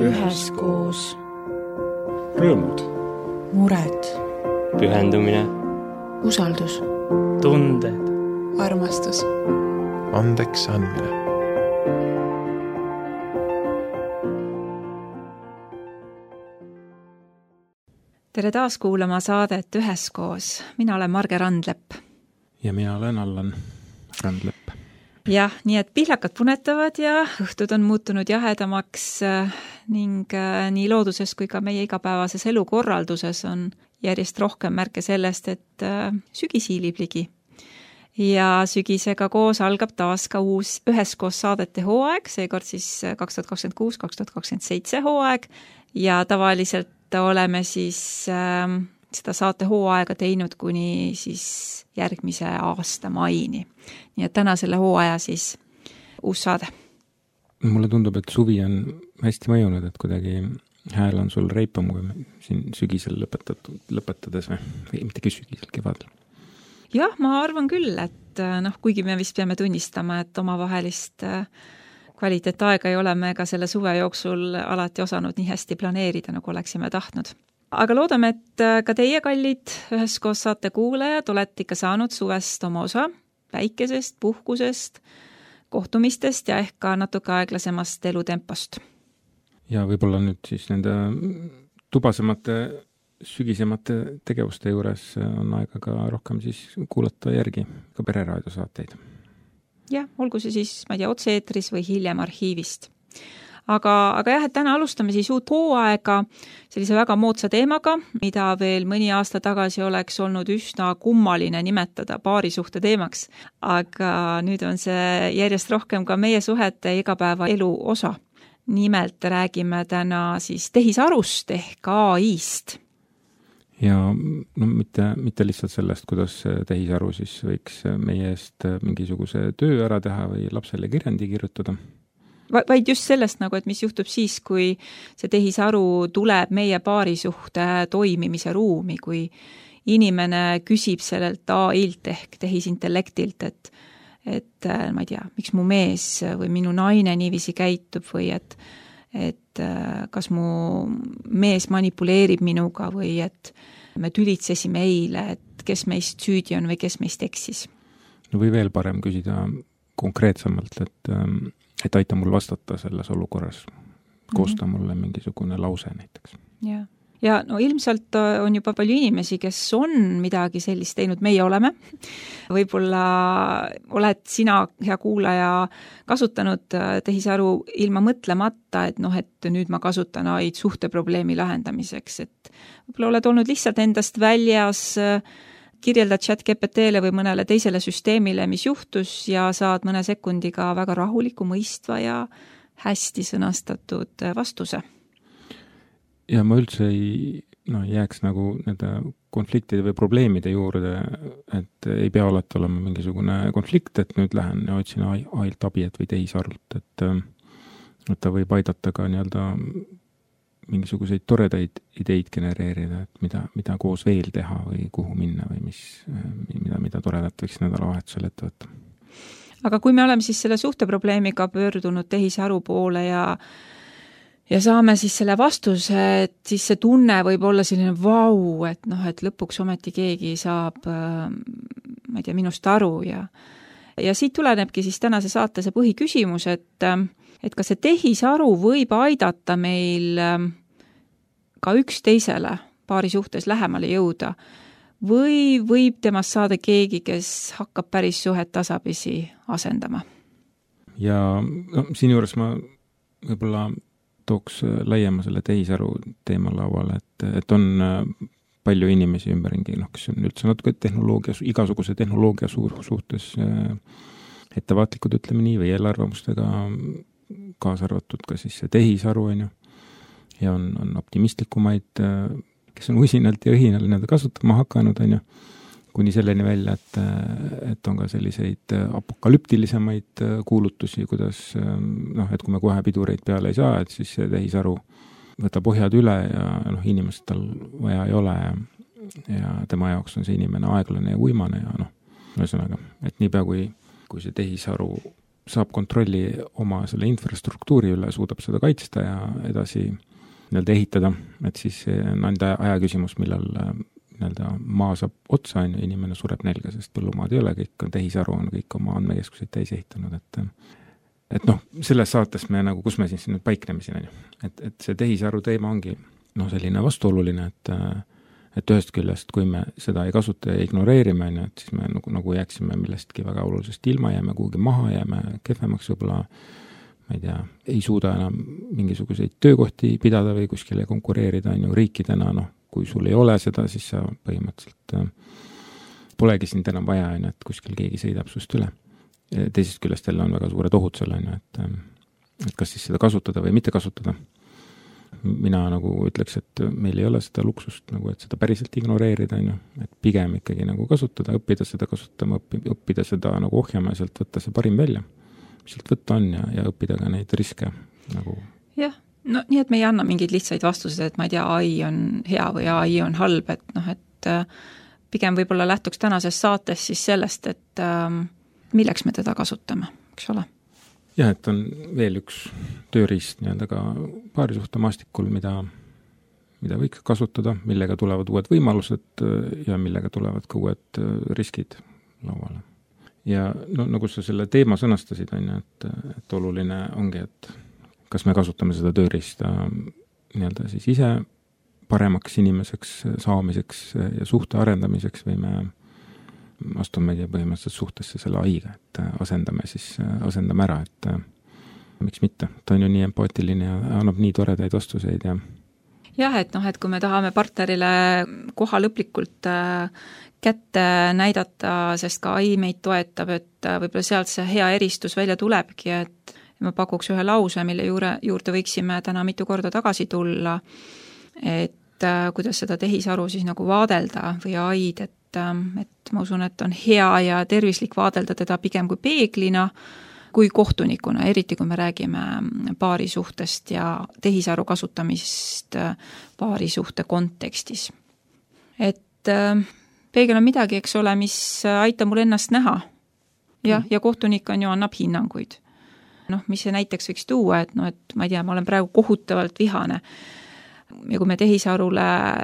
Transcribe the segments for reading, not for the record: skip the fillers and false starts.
üheskoos. Rõõmud. Mured. Pühendumine. Usaldus. Tunded. Armastus. Andeks andmine. Tere taas kuulama saadet Üheskoos. Mina olen Marge Randlepp. Ja mina olen Allan Randlepp. Jah, nii et pihlakad punetavad ja õhtud on muutunud jahedamaks ning nii looduses kui ka meie igapäevases elukorralduses on järjest rohkem märke sellest, et sügis hiilib ligi. Ja sügisega koos algab taas ka uus Üheskoos saadete hooaeg, seekord siis 2026-2027 hooaeg ja tavaliselt oleme siis seda saate hooaega teinud kuni siis järgmise aasta maini. Nii et täna selle hooaja siis uus saade. Mulle tundub, et suvi on hästi mõjunud, et kuidagi hääl on sul reipam kui siin sügisel lõpetades või mitte sügisel, kevadel. Jah, ma arvan küll, et kuigi me vist peame tunnistama, et omavahelist kvaliteetaega ei ole me ka selle suve jooksul alati osanud nii hästi planeerida, nagu oleksime tahtnud. Aga loodame, et ka teie kallid Üheskoos saate kuulajad olete ikka saanud suvest oma osa, päikesest, puhkusest, kohtumistest ja ehk ka natuke aeglasemast elutempost. Ja võib-olla nüüd siis nende tubasemate, sügisemate tegevuste juures on aega ka rohkem siis kuulata järgi ka pereraadio saateid. Jah, olgu see siis, ma ei tea, otse-eetris või hiljem arhiivist. Aga jah, et täna alustame siis uut hooaega sellise väga moodsa teemaga, mida veel mõni aasta tagasi oleks olnud üsna kummaline nimetada paarisuhte teemaks. Aga nüüd on see järjest rohkem ka meie suhete igapäeva elu osa. Nimelt räägime täna siis tehisarust ehk AI-st. Ja mitte lihtsalt sellest, kuidas tehisaru siis võiks meie eest mingisuguse töö ära teha või lapsele kirjandi kirjutada. Vaid just sellest, et mis juhtub siis, kui see tehisaru tuleb meie paarisuhte toimimise ruumi, kui inimene küsib sellelt AI-lt ehk tehisintellektilt, et ma ei tea, miks mu mees või minu naine niiviisi käitub või et kas mu mees manipuleerib minuga või et me tülitsesime eile, et kes meist süüdi on või kes meist eksis. Või veel parem küsida konkreetsemalt, et aita mul vastata selles olukorras, koosta mulle mingisugune lause näiteks. Ja ilmselt on juba palju inimesi, kes on midagi sellist teinud, meie oleme. Võib-olla oled sina, hea kuulaja, kasutanud tehisaru ilma mõtlemata, et nüüd ma kasutan AI-d suhteprobleemi lahendamiseks, et võib-olla oled olnud lihtsalt endast väljas, kirjeldad ChatGPT-le või mõnele teisele süsteemile, mis juhtus ja saad mõne sekundiga väga rahuliku, mõistva ja hästi sõnastatud vastuse. Ja ma üldse ei jääks nagu nende konfliktide või probleemide juurde, et ei pea alati olema mingisugune konflikt, et nüüd lähen ja otsin AI-lt abi või tehisarult, et ta võib aidata ka mingisuguseid toredaid ideid genereerida, et mida koos veel teha või kuhu minna või mida toredat võiks nädalavahetusel ette võtta. Aga kui me oleme siis selle suhteprobleemiga pöördunud tehisaru poole ja saame siis selle vastuse, et siis see tunne võib olla selline vau, et lõpuks ometi keegi saab, ma ei tea, minust aru ja siit tulenebki siis tänase saate see põhiküsimus, et kas see tehisaru võib aidata meil ka üksteisele paari suhtes lähemale jõuda või võib temast saada keegi, kes hakkab päris suhet tasapisi asendama? Ja siin juures ma võib-olla tooks laiema selle tehisaru teema lauale, et on palju inimesi ümberringi, kes on üldse natuke igasuguse tehnoloogia suhtes ettevaatlikud, ütleme nii, või eelarvamustega kaasa arvatud ka siis see tehisaru, ja on optimistlikumaid, kes on usinalt ja õhinal kasutama hakanud, kuni selleni välja, et on ka selliseid apokalüptilisemaid kuulutusi, kuidas, et kui me kohe pidureid peale ei saa, et siis see tehisaru võtab ohjad üle ja inimest tal vaja ei ole ja tema jaoks on see inimene aeglane ja uimane ja ühesõnaga, et niipea kui see tehisaru saab kontrolli oma selle infrastruktuuri üle, suudab seda kaitsta ja edasi nii-öelda ehitada, et siis on enda aja küsimus, millal nii-öelda maa saab otsa, inimene sureb nälga, sest põllumaad ei ole, kõik on tehisaru, on kõik oma andmekeskuseid täis ehitanud, et noh, selles saates me nagu, kus me siis nüüd paikneme siin, et see tehisaru teema ongi selline vastuoluline, et ühest küljest, kui me seda ei kasuta ja ignoreerime, et siis me nagu jääksime millestki väga olulisest ilma, jääme kuhugi maha, jääme kehvemaks võib-olla, ma ei tea, ei suuda enam mingisuguseid töökohti pidada või kuskile konkureerida, riikidena, kui sul ei ole seda, siis sa põhimõtteliselt polegi sind enam vaja, et kuskil keegi sõidab sust üle. Teisest küljest jälle on väga suured ohud selle, et kas siis seda kasutada või mitte kasutada. Mina nagu ütleks, et meil ei ole seda luksust, et seda päriselt ignoreerida, et pigem ikkagi nagu kasutada, õppida seda kasutama, õppida seda nagu ohjama ja sealt võtta see parim välja, mis sealt võtta on ja õppida ka neid riske nagu. Jah, no nii, et me ei anna mingeid lihtsaid vastuseid, et ma ei tea, AI on hea või AI on halb, et pigem võib-olla lähtuks tänases saates siis sellest, et milleks me teda kasutame, eks ole? Jah, et on veel üks tööriist nii-öelda ka paarisuhte maastikul, mida võiks kasutada, millega tulevad uued võimalused ja millega tulevad ka uued riskid lauale. Ja nagu sa selle teema sõnastasid, et oluline ongi, et kas me kasutame seda tööriista nii-öelda siis ise paremaks inimeseks saamiseks ja suhte arendamiseks või me astumegi põhimõtteliselt suhtesse selle AI-ga, et asendame ära, et miks mitte. Ta on ju nii empaatiline ja annab nii toredaid vastuseid ja jah, et kui me tahame partnerile koha lõplikult kätte näidata, sest ka AI meid toetab, et võib-olla sealt see hea eristus välja tulebki, et ma pakuks ühe lause, mille juurde võiksime täna mitu korda tagasi tulla, et kuidas seda tehisaru siis nagu vaadelda või AI-d, et ma usun, et on hea ja tervislik vaadelda teda pigem kui peeglina, kui kohtunikuna, eriti kui me räägime paarisuhtest ja tehisaru kasutamist paarisuhte kontekstis. Et peegel on midagi, eks ole, mis aitab mul ennast näha. Ja kohtunik on ju, annab hinnanguid. Mis see näiteks võiks tuua, et ma ei tea, ma olen praegu kohutavalt vihane. Ja kui me tehisarule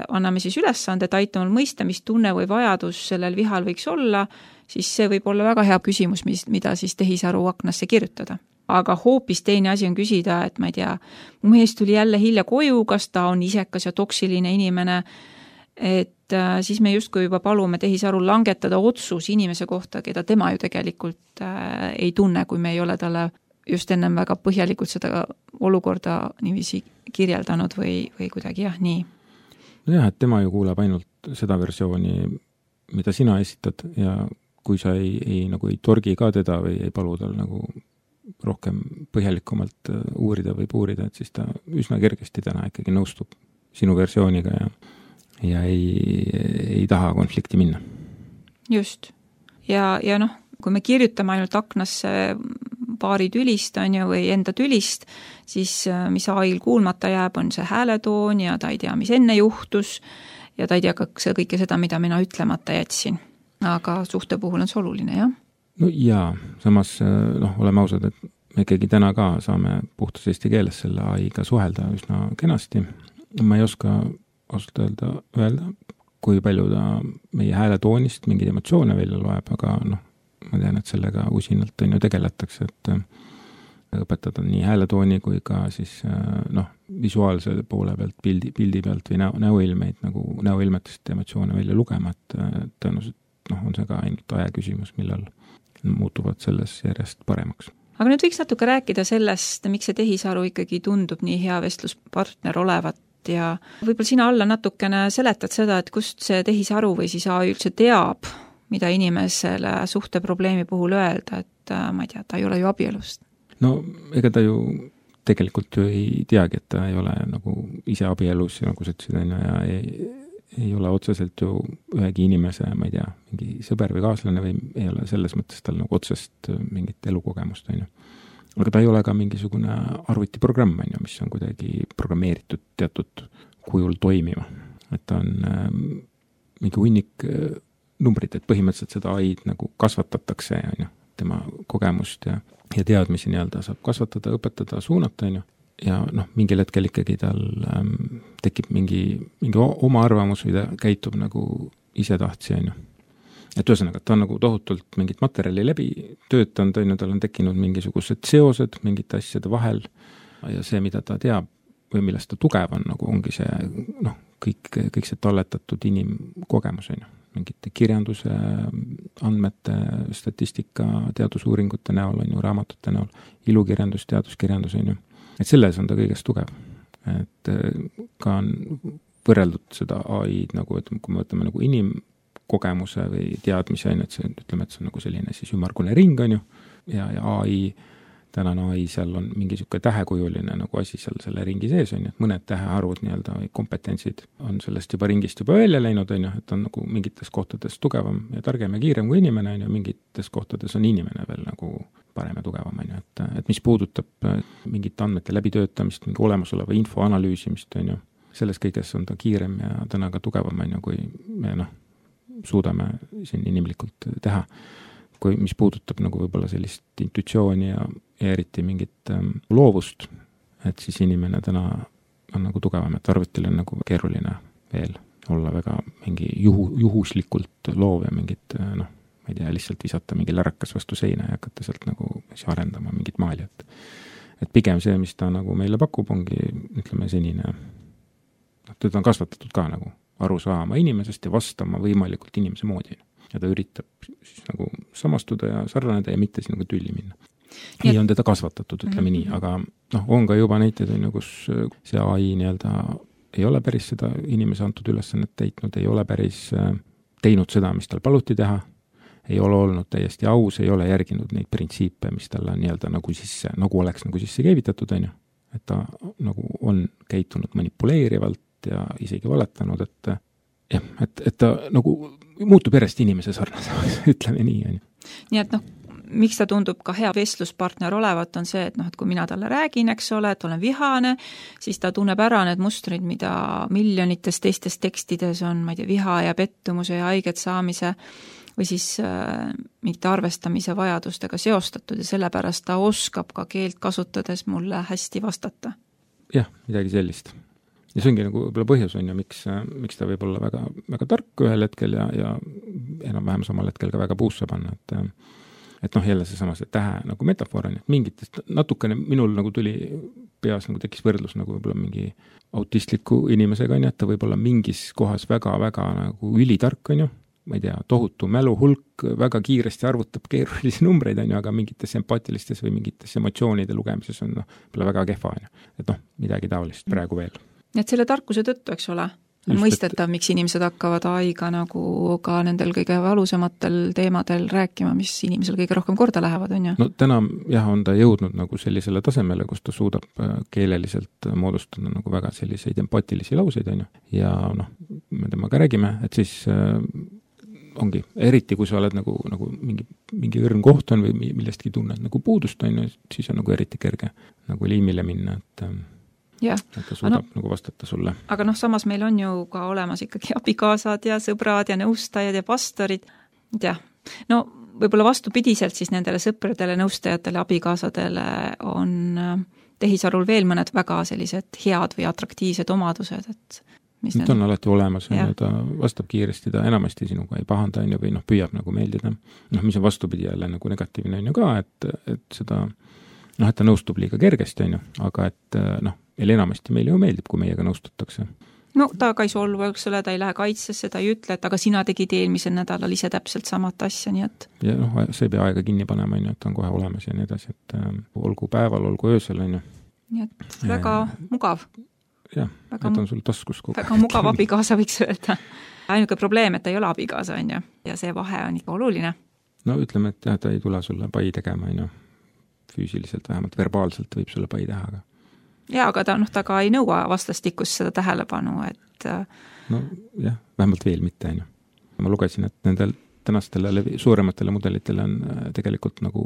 anname siis ülesande, et aita mul mõista, mis tunne või vajadus sellel vihal võiks olla, siis see võib olla väga hea küsimus, mida siis tehisaru aknasse kirjutada. Aga hoopis teine asi on küsida, et ma ei tea, mu mees tuli jälle hilja koju, kas ta on isekas ja toksiline inimene, et siis me justkui juba palume tehisarul langetada otsus inimese kohta, keda tema ju tegelikult ei tunne, kui me ei ole talle just ennem väga põhjalikult seda olukorda niiviisi kirjeldanud või kuidagi nii. Jah, et tema ju kuuleb ainult seda versiooni, mida sina esitad ja kui sa ei torgi ka teda või ei palu tal nagu rohkem põhjalikumalt uurida või puurida, et siis ta üsna kergesti täna ikkagi nõustub sinu versiooniga ja ei taha konflikti minna. Just. Ja kui me kirjutame ainult aknasse paari tülist või enda tülist, siis mis AI-l kuulmata jääb, on see hääletoon ja ta ei tea, mis enne juhtus ja ta ei tea kõike seda, mida mina ütlemata jätsin. Aga suhte puhul on see oluline, jah? No jaa, samas oleme ausad, et me ikkagi täna ka saame puhtas eesti keeles selle AI-ga suhelda üsna kenasti. Ma ei oska ausalt öelda, kui palju ta meie hääletoonist mingeid emotsioone välja loeb, aga ma tean, et sellega usinalt on ju tegeletakse, et õpetada nii hääletooni kui ka siis visuaalse poole pealt, pildi pealt või näoilmeid, nagu näoilmetest emotsioone välja lugema, et tõenäoliselt on see ka ainult aja küsimus, millal muutuvad selles järjest paremaks. Aga nüüd võiks natuke rääkida sellest, miks see tehisaru ikkagi tundub nii hea vestluspartner olevat ja võib-olla sina alla natukene seletad seda, et kust see tehisaru või siis AI üldse teab, mida inimesele suhteprobleemi puhul öelda, et ma ei tea, ta ei ole ju abielust. No ega ta ju tegelikult ju ei teagi, et ta ei ole nagu ise abielus ja nagu sa ütlesid, ja ei ole otseselt ju ühegi inimese, ma ei tea, mingi sõber või kaaslane või ei ole selles mõttes tal nagu otsest mingit elukogemust, Aga ta ei ole ka mingisugune arvutiprogramm, mis on kuidagi programmeeritud teatud kujul toimima. Et ta on mingi hunnik numbrid, et põhimõtteliselt seda AI-d nagu kasvatatakse tema kogemust ja teadmisi nii-öelda saab kasvatada, õpetada, suunata, on ju. Ja mingil hetkel ikkagi tal tekib mingi oma arvamus või ta käitub nagu ise tahtsi, on ju. Et ühesõnaga, ta on nagu tohutult mingit materjali läbi töötanud, on ju, tal on tekkinud mingisugused seosed mingite asjade vahel ja see, mida ta teab või millest ta tugev on, nagu ongi see, kõik see talletatud inimkogemus, on ju. Mingite kirjanduse, andmete, statistika, teadusuuringute näol, on ju, raamatute näol, ilukirjandus, teaduskirjandus, on ju. Et selles on ta kõigest tugev. Et ka on võrreldud seda AI-d nagu, et kui me võtame nagu inimkogemuse või teadmise, on, et see, ütleme, et see on nagu selline siis ümmargune ring, on ju, ja AI, tänane AI, seal on mingi siuke tähekujuline nagu asi seal selle ringi sees, on ju, et mõned tähearvud nii-öelda või kompetentsid on sellest juba ringist juba välja läinud, on ju, et on nagu mingites kohtades tugevam ja targem ja kiirem kui inimene, on ju, mingites kohtades on inimene veel nagu parem ja tugevam, on ju, et mis puudutab mingite andmete läbitöötamist, mingi olemasoleva info analüüsimist, on ju, selles kõiges on ta kiirem ja täna ka tugevam, on ju, kui me suudame siin inimlikult teha. Kui mis puudutab nagu võib-olla sellist intuitsiooni ja eriti mingit loovust, et siis inimene täna on nagu tugevam, et arvutil on nagu keeruline veel olla väga mingi juhuslikult loov ja mingit, ma ei tea, lihtsalt visata mingi lärakas vastu seina ja hakata sealt nagu arendama mingit maali, et pigem see, mis ta nagu meile pakub, ongi, ütleme, senine, teda on kasvatatud ka nagu aru saama inimesest ja vastama võimalikult inimese moodi. Ja ta üritab siis nagu samastuda ja sarnaneda ja mitte siis nagu tülli minna. Nii on teda kasvatatud, ütleme nii, aga on ka juba näiteid, kus see AI nii-öelda ei ole päris seda inimese antud ülesannet täitnud, ei ole päris teinud seda, mis tal paluti teha, ei ole olnud täiesti aus, ei ole järginud neid printsiipe, mis tal on nii-öelda nagu sisse, nagu oleks nagu sisse keevitatud, on ju. Et ta nagu on käitunud manipuleerivalt ja isegi valetanud, et ta nagu muutub järjest inimese sarnasemaks, ütleme nii, on ju. Nii et miks ta tundub ka hea vestluspartner olevat, on see, et et kui mina talle räägin, eks ole, et olen vihane, siis ta tunneb ära need mustrid, mida miljonites teistes tekstides on, ma ei tea, viha ja pettumuse ja haiget saamise või siis mingite arvestamise vajadustega seostatud ja sellepärast ta oskab ka keelt kasutades mulle hästi vastata. Jah, midagi sellist. Ja see ongi nagu võib-olla põhjus on ju, miks ta võib olla väga, väga tark ühel hetkel ja enam-vähem samal hetkel ka väga puusse panna, et jälle seesama see tähe nagu metafoor on, et mingitest natukene minul nagu tuli peas nagu tekkis võrdlus nagu võib-olla mingi autistliku inimesega on ju, et ta võib olla mingis kohas väga-väga nagu ülitark on ju, ma ei tea, tohutu mäluhulk, väga kiiresti arvutab keerulisi numbreid on ju, aga mingites empaatilistes või mingites emotsioonide lugemises on väga kehva on ju, et midagi taolist praegu veel. Et selle tarkuse tõttu, eks ole, on mõistetav, miks inimesed hakkavad AI-ga nagu ka nendel kõige valusamatel teemadel rääkima, mis inimesel kõige rohkem korda lähevad, on ju? No täna jah, on ta jõudnud nagu sellisele tasemele, kus ta suudab keeleliselt moodustada nagu väga selliseid empaatilisi lauseid, on ju. Ja me temaga räägime, et siis ongi, eriti kui sa oled nagu mingi õrn koht on või millestki tunned nagu puudust, on ju, siis on nagu eriti kerge nagu liimile minna, et ta suudab nagu vastata sulle. Aga samas meil on ju ka olemas ikkagi abikaasad ja sõbrad ja nõustajad ja pastorid. Jah, võib-olla vastupidiselt siis nendele sõpradele, nõustajatele, abikaasadele on tehisarul veel mõned väga sellised head või atraktiivsed omadused, et ta on alati olemas, ta vastab kiiresti, ta enamasti sinuga ei pahanda on ju, või püüab nagu meeldida. Mis on vastupidi jälle nagu negatiivne on ju ka, et seda, et ta nõustub liiga kergesti on ju, aga et meil enamasti meile ju meeldib, kui meiega nõustutakse. Ta ka ei solvu, eks ole, ta ei lähe kaitsesse, ta ei ütle, et aga sina tegid eelmisel nädalal ise täpselt samat asja, nii et... Ja see ei pea aega kinni panema, et ta on kohe olemas ja nii edasi, et olgu päeval, olgu öösel, on ju. Nii et väga mugav. Jah, et on sul taskus kogu. Väga mugav abikaasa võiks öelda. Ainuke probleem, et ta ei ole abikaasa, on ju, ja see vahe on ikka oluline. Ütleme, et ta ei tule sulle pai tegema, on ju. Füüsiliselt, vähemalt verbaalselt võib sulle pai teha, aga aga ta ka ei nõua vastastikust seda tähelepanu, et... jah, vähemalt veel mitte, on ju. Ma lugesin, et nendel tänastele suurematele mudelitele on tegelikult nagu,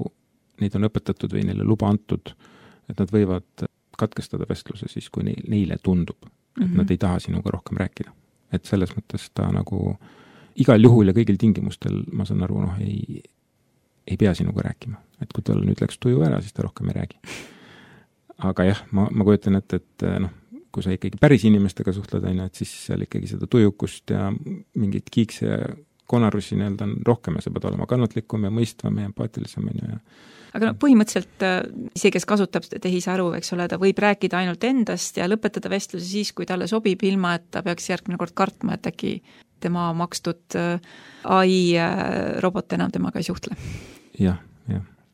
neid on õpetatud või neile luba antud, et nad võivad katkestada vestluse siis, kui neile tundub, et nad ei taha sinuga rohkem rääkida. Et selles mõttes ta nagu igal juhul ja kõigil tingimustel, ma saan aru, ei pea sinuga rääkima. Et kui tal nüüd läks tuju ära, siis ta rohkem ei räägi. Aga jah, ma kujutan, et noh, kui sa ikkagi päris inimestega suhtled, et siis seal ikkagi seda tujukust ja mingit kiikse ja konarusi nii-öelda on rohkem ja sa pead olema kannatlikum ja mõistvam ja empaatilisem. Aga no, põhimõtteliselt see, kes kasutab tehisaru, eks ole, ta võib rääkida ainult endast ja lõpetada vestluse siis, kui talle sobib, ilma et ta peaks järgmine kord kartma, et äkki tema makstud AI robot enam temaga ei suhtle. Jah.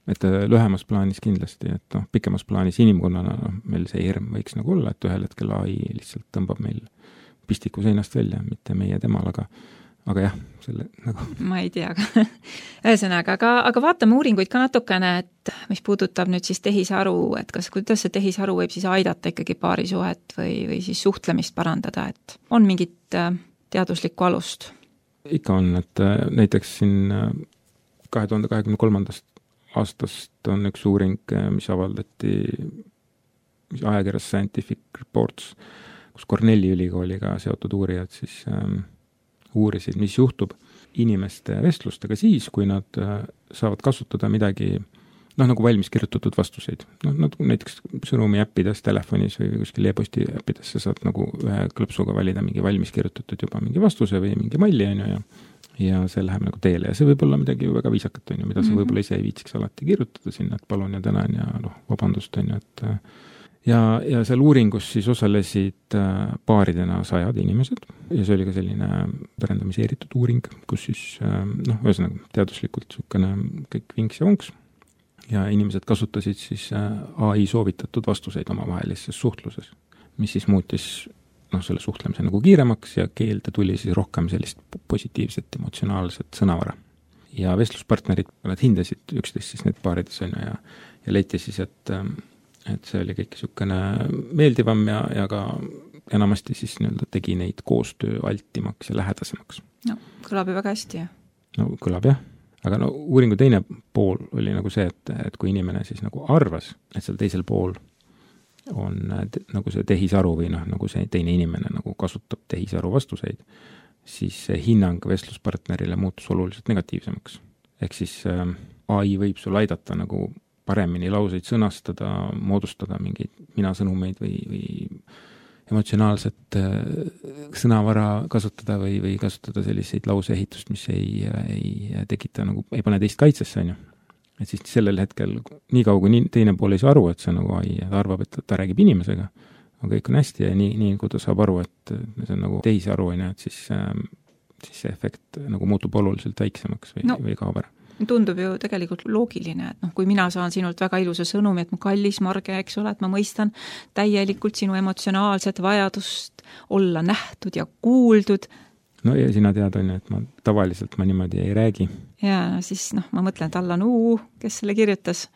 Et lühemas plaanis kindlasti, et noh, pikemas plaanis inimkonnana meil see hirm võiks nagu olla, et ühel hetkel AI lihtsalt tõmbab meil pistiku seinast välja, mitte meie temal, aga jah, selle nagu... Ma ei tea, ühesõnaga, aga vaatame uuringuid ka natukene, et mis puudutab nüüd siis tehisaru, et kuidas see tehisaru võib siis aidata ikkagi paarisuhet või siis suhtlemist parandada, et on mingit teaduslikku alust? Ikka on, et näiteks siin 2023. aastast on üks uuring, mis avaldati ajakirjas Scientific Reports, kus Cornelli ülikooliga seotud uurijad siis uurisid, mis juhtub inimeste vestlustega siis, kui nad saavad kasutada midagi, nagu valmis kirjutatud vastuseid. Näiteks sõnumi äppides telefonis või kuskil e-posti äppides sa saad nagu ühe klõpsuga valida mingi valmis kirjutatud juba mingi vastuse või mingi malli, ja see läheb nagu teele ja see võib olla midagi väga viisakat, mida sa võib-olla ise ei viitsiks alati kirjutada sinna, et palun ja tänan ja vabandust, et ja seal uuringus siis osalesid paaridena 100 inimesed ja see oli ka selline randomiseeritud uuring, kus siis ühesõnaga teaduslikult niisugune kõik vinks ja vonks ja inimesed kasutasid siis AI soovitatud vastuseid omavahelises suhtluses, mis siis muutis selle suhtlemise nagu kiiremaks ja keelde tuli siis rohkem sellist positiivset, emotsionaalset sõnavara. Ja vestluspartnerid, nad hindasid üksteist siis need paarides ja leiti siis, et see oli kõik niisugune meeldivam ja ka enamasti siis nii-öelda tegi neid koostöö altimaks ja lähedasemaks. No, kõlab ju väga hästi, jah? No, kõlab jah. Aga uuringu teine pool oli nagu see, et kui inimene siis nagu arvas, et seal teisel pool on nagu see tehisaru või nagu see teine inimene nagu kasutab tehisaru vastuseid, siis see hinnang vestluspartnerile muutus oluliselt negatiivsemaks. Ehk siis AI võib sul aidata nagu paremini lauseid sõnastada, moodustada mingeid minasõnumeid või emotsionaalset sõnavara kasutada või kasutada selliseid lauseehitust, mis ei tekita nagu, ei pane teist kaitsesse, Et siis sellel hetkel, nii kaua kui teine pool ei saa aru, et see nagu AI, ta arvab, et ta räägib inimesega, aga kõik on hästi ja nii kui ta saab aru, et see on nagu tehisaru, et siis see efekt nagu muutub oluliselt väiksemaks või kaob ära. Tundub ju tegelikult loogiline, et kui mina saan sinult väga ilusa sõnumi, et mu kallis Marge, eks ole, et ma mõistan täielikult sinu emotsionaalset vajadust olla nähtud ja kuuldud. No ja sina tead, et tavaliselt ma niimoodi ei räägi. Ja siis ma mõtlen, et Allan kes selle kirjutas.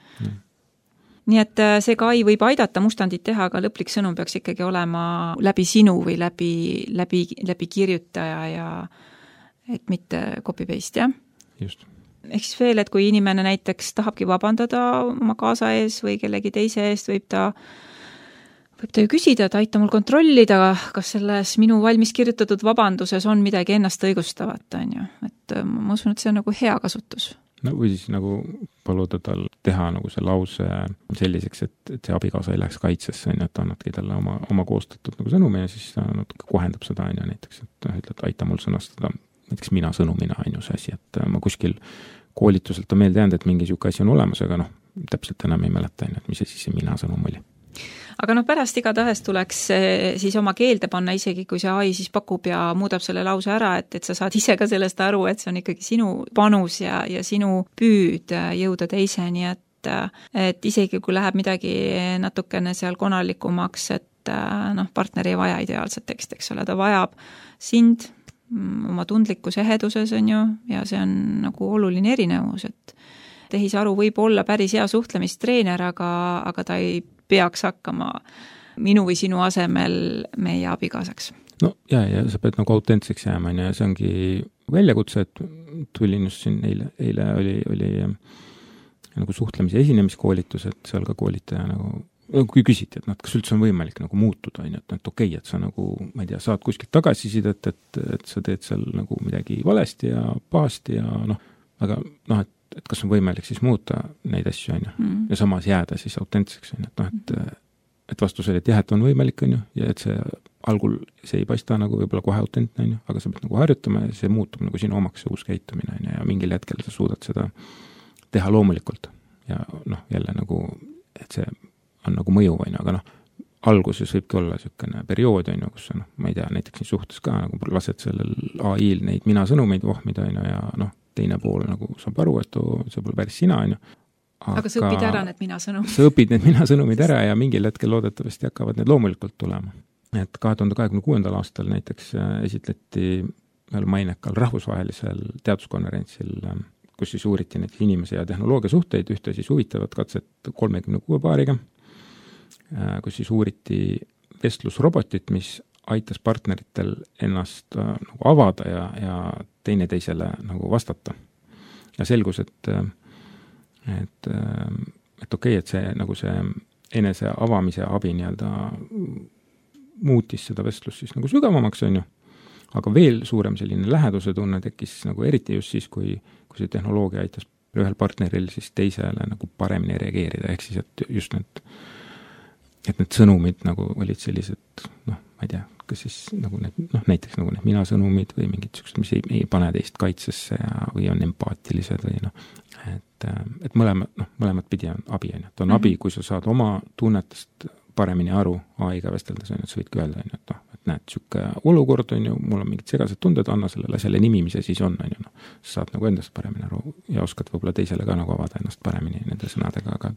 Nii et see ka AI võib aidata mustandit teha, aga lõplik sõnum peaks ikkagi olema läbi sinu või läbi kirjutaja ja et mitte copy-paste, jah? Just. Ehk siis veel, et kui inimene näiteks tahabki vabandada oma kaasa ees või kellegi teise eest, võib ta ju küsida, et aita mul kontrollida, kas selles minu valmis kirjutatud vabanduses on midagi ennast õigustavat, et ma usun, et see on nagu hea kasutus. No või siis nagu paluda tal teha nagu see lause selliseks, et see abikaasa ei läheks kaitsesse, et annadki talle oma koostatud nagu sõnumi ja siis ta natuke kohendab seda, näiteks, et ütled, aita mul sõnastada näiteks mina sõnumina see asi, et ma kuskil koolituselt on meelde jäänud, et mingi siuke asi on olemas, aga täpselt enam ei mäleta, et mis see mina sõnum oli. Aga pärast igatahes tuleks siis oma keelde panna, isegi kui see AI siis pakub ja muudab selle lause ära, et sa saad ise ka sellest aru, et see on ikkagi sinu panus ja sinu püüd jõuda teiseni, et isegi kui läheb midagi natukene seal konalikumaks, et partner ei vaja ideaalset teksti, eks ole, ta vajab sind oma tundlikus eheduses, ja see on nagu oluline erinevus, et tehisaru võib olla päris hea suhtlemistreener, aga ta ei peaks hakkama minu või sinu asemel meie abikaasaks. No ja sa pead nagu autentseks jääma, ja see ongi väljakutse, et tulin just siin eile oli nagu suhtlemise esinemiskoolitus, et seal ka koolitaja nagu, kui küsiti, et kas üldse on võimalik nagu muutuda, et okei, et sa nagu, ma ei tea, saad kuskilt tagasisidet, et sa teed seal nagu midagi valesti ja pahasti ja aga et et kas on võimalik siis muuta neid asju, on ju, ja samas jääda siis autentseks, on ju, et noh, et vastus oli, et jah, et on võimalik, on ju, ja et see algul see ei paista nagu võib-olla kohe autentne, on ju, aga sa pead nagu harjutama ja see muutub nagu sinu omaks see uus käitumine, on ju, ja mingil hetkel sa suudad seda teha loomulikult. Ja noh, jälle nagu, et see on nagu mõju, on ju, aga noh, alguses võibki olla niisugune periood, on ju, kus sa, noh, ma ei tea, näiteks nii suhtes ka, nagu lased sellel AI-l neid mina sõnumeid vohmida, on ju, ja noh, teine pool nagu saab aru, et see pole päris sina, on ju. Aga sa õpid ära need mina sõnumid. Sa õpid need mina sõnumid ära ja mingil hetkel loodetavasti hakkavad need loomulikult tulema. Et 2026. aastal näiteks esitleti veel mainekal rahvusvahelisel teaduskonverentsil, kus siis uuriti neid inimese ja tehnoloogia suhteid, ühte siis huvitavat katset 36 paariga, kus siis uuriti vestlusrobotit, mis aitas partneritel ennast nagu avada ja teineteisele nagu vastata. Ja selgus, et okei, et see nagu see enese avamise abi nii-öelda muutis seda vestlust siis nagu sügavamaks, on ju, aga veel suurem selline läheduse tunne tekkis nagu eriti just siis, kui see tehnoloogia aitas ühel partneril siis teisele nagu paremini reageerida, ehk siis, et just need sõnumid nagu olid sellised, noh, ma ei tea, kas siis nagu need, noh, näiteks nagu need mina sõnumid või mingid sellised, mis ei pane teist kaitsesse või on empaatilised või noh, et mõlemad pidi on abi, on ju. Et on abi, kui sa saad oma tunnetest paremini aru AI-ga vesteldes, on ju, et sa võidki öelda, on ju, et noh, et näed, siuke olukord on ju, mul on mingid segased tunded, anna selle nimi, mis see siis on ju, noh, sa saad nagu endast paremini aru ja oskad võib-olla teisele ka nagu avada ennast paremini nende sõnadega, aga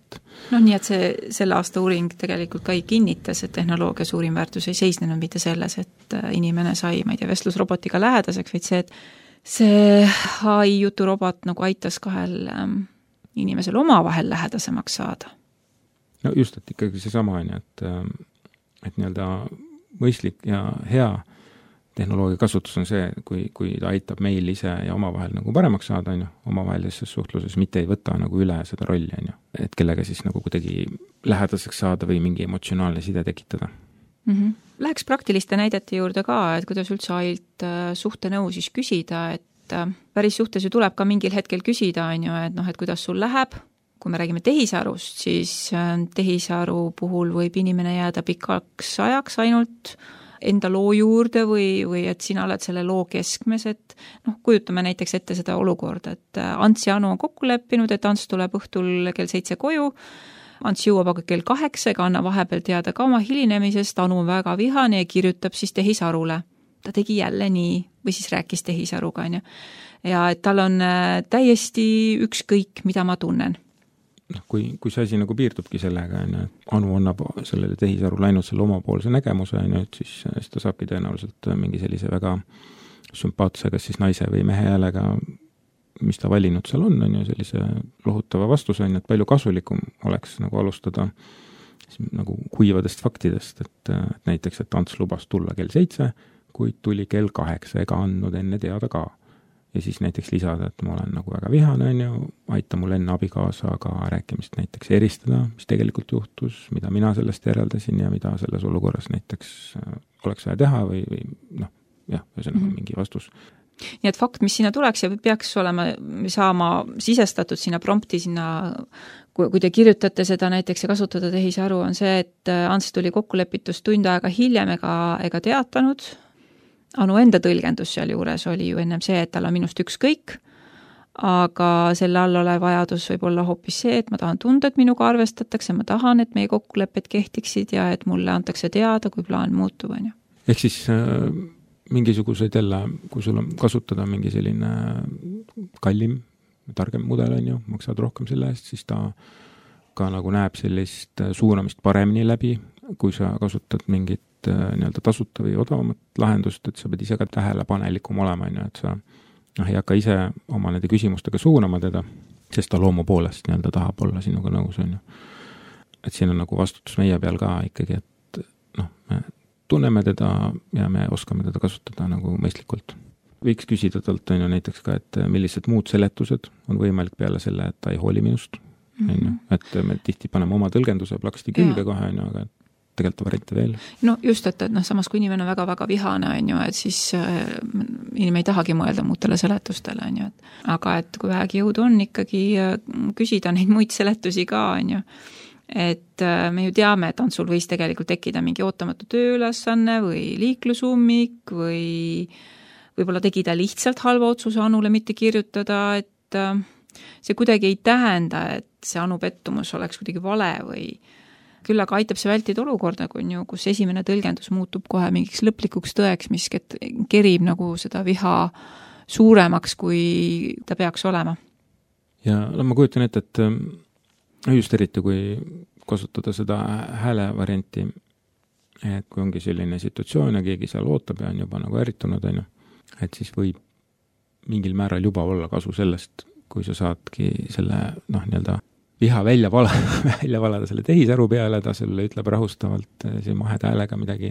noh, nii et selle aasta uuring tegelikult ka ei kinnitas, et tehnoloogia suurim väärtus ei seisnenud mitte selles, et inimene sai, ma ei tea, vestlusrobotiga lähedaseks, vaid see, et see AI juturobot nagu aitas kahel inimesel omavahel lähedasemaks saada. No just, et ikkagi seesama on, et nii-öelda mõistlik ja hea tehnoloogia kasutus on see, kui ta aitab meil ise ja omavahel nagu paremaks saada, on ju, omavahelises suhtluses, mitte ei võta nagu üle seda rolli, on ju, et kellega siis nagu kuidagi lähedaseks saada või mingi emotsionaalne side tekitada. Läheks praktiliste näidete juurde ka, et kuidas üldse ailt suhtenõu siis küsida, et päris suhtes ju tuleb ka mingil hetkel küsida, on ju, et noh, et kuidas sul läheb. Kui me räägime tehisarust, siis tehisaru puhul võib inimene jääda pikaks ajaks ainult enda loo juurde või et sina oled selle loo keskmes, et noh, kujutame näiteks ette seda olukorda, et Ants ja Anu on kokku leppinud, et Ants tuleb õhtul kell 7 koju, Ants jõuab aga kell 8, ega anna vahepeal teada ka oma hilinemisest, Anu on väga vihane ja kirjutab siis tehisarule. Ta tegi jälle nii või siis rääkis tehisaruga, on ju. Ja et tal on täiesti ükskõik, mida ma tunnen. Noh, kui see asi nagu piirdubki sellega, et Anu annab sellele tehisarule ainult selle omapoolse nägemuse, et siis ta saabki tõenäoliselt mingi sellise väga sümpaatse, kas siis naise või mehe häälega, mis ta valinud seal on ju, sellise lohutava vastuse, et palju kasulikum oleks nagu alustada nagu kuivadest faktidest, et näiteks, et Ants lubas tulla kell 7, kuid tuli kell 8 ega andnud enne teada ka. Ja siis näiteks lisada, et ma olen nagu väga vihane, on ju, aita mul enne abikaasaga rääkimist näiteks eristada, mis tegelikult juhtus, mida mina sellest järeldasin ja mida selles olukorras näiteks oleks vaja teha või noh, jah, ühesõnaga mingi vastus. Nii et fakt, mis sinna tuleks ja peaks olema, saama sisestatud sinna prompti, sinna, kui te kirjutate seda näiteks ja kasutada tehisaru, on see, et Ants tuli kokkulepitust tund aega hiljem ega teatanud. Anu enda tõlgendus seal juures oli ju ennem see, et tal on minust ükskõik, aga selle all ole vajadus võib olla hoopis see, et ma tahan tunda, et minuga arvestatakse, ma tahan, et meie kokkulepped kehtiksid ja et mulle antakse teada, kui plaan muutub, on ju. Ehk siis mingisuguseid jälle, kui sul on kasutada mingi selline kallim, targem mudel, on ju, maksad rohkem selle eest, siis ta ka nagu näeb sellist suunamist paremini läbi, kui sa kasutad mingit nii-öelda tasuta või odavamat lahendust, et sa pead ise ka tähelepanelikum olema, et sa ei hakka ise oma nende küsimustega suunama teda, sest ta loomu poolest nii-öelda tahab olla sinuga nõus, on ju. Et siin on nagu vastutus meie peal ka ikkagi, et noh, me tunneme teda ja me oskame teda kasutada nagu mõistlikult. Võiks küsida talt, on ju, näiteks ka, et millised muud seletused on võimalik peale selle, et ta ei hooli minust, on ju, et me tihti paneme oma tõlgenduse plaksti külge kohe, on ju, aga tegelikult variante veel. No just, et samas kui inimene on väga-väga vihane, on ju, et siis inimene ei tahagi mõelda muutele seletustele, on ju, aga et kui vähegi jõudu on ikkagi küsida neid muid seletusi ka, on ju, et me ju teame, et Antsul võis tegelikult tekkida mingi ootamatu tööülesanne või liiklusummik või võib-olla tegi ta lihtsalt halva otsuse Anule mitte kirjutada, et see kuidagi ei tähenda, et see Anu pettumus oleks kuidagi vale või küll aga aitab see vältida olukorda, kus esimene tõlgendus muutub kohe mingiks lõplikuks tõeks, mis kerib nagu seda viha suuremaks, kui ta peaks olema. Ja ma kujutan ette, et just eriti, kui kasutada seda hääle varianti, et kui ongi selline situatsioon ja keegi seal ootab ja on juba nagu ärritunud, et siis võib mingil määral juba olla kasu sellest, kui sa saadki selle nii-öelda viha välja valada selle tehisaru peale, ta selle ütleb rahustavalt see maheda häälega midagi,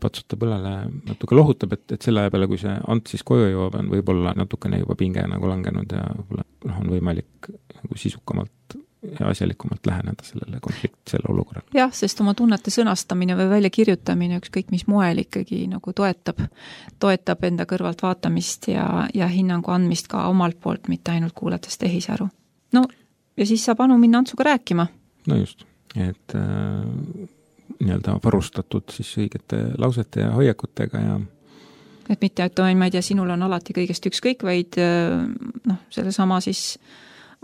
patsutab õlale, natuke lohutab, et selle aja peale, kui see Ant siis koju jõuab, on võib-olla natukene juba pinge nagu langenud ja võib-olla on võimalik nagu sisukamalt ja asjalikumalt läheneda selle olukorrale. Jah, sest oma tunnete sõnastamine või väljakirjutamine ükskõik mis moel ikkagi nagu toetab enda kõrvalt vaatamist ja hinnangu andmist ka omalt poolt, mitte ainult kuulates tehisaru. No ja siis saab Anu minna Antsuga rääkima. No just, et nii-öelda varustatud siis õigete lausete ja hoiakutega ja et mitte, et ma ei tea, sinul on alati kõigest ükskõik, vaid selle sama siis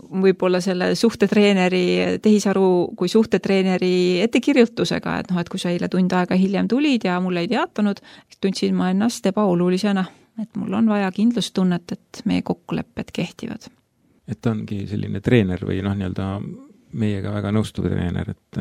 võib-olla selle suhtetreeneri, tehisaru kui suhtetreeneri ettekirjutusega, et kui sa eile tund aega hiljem tulid ja mulle ei teatanud, tundsin ma ennast ebaolulisena, et mul on vaja kindlustunnet, et meie kokkulepped kehtivad. Et ta ongi selline treener või nii-öelda meiega väga nõustuv treener, et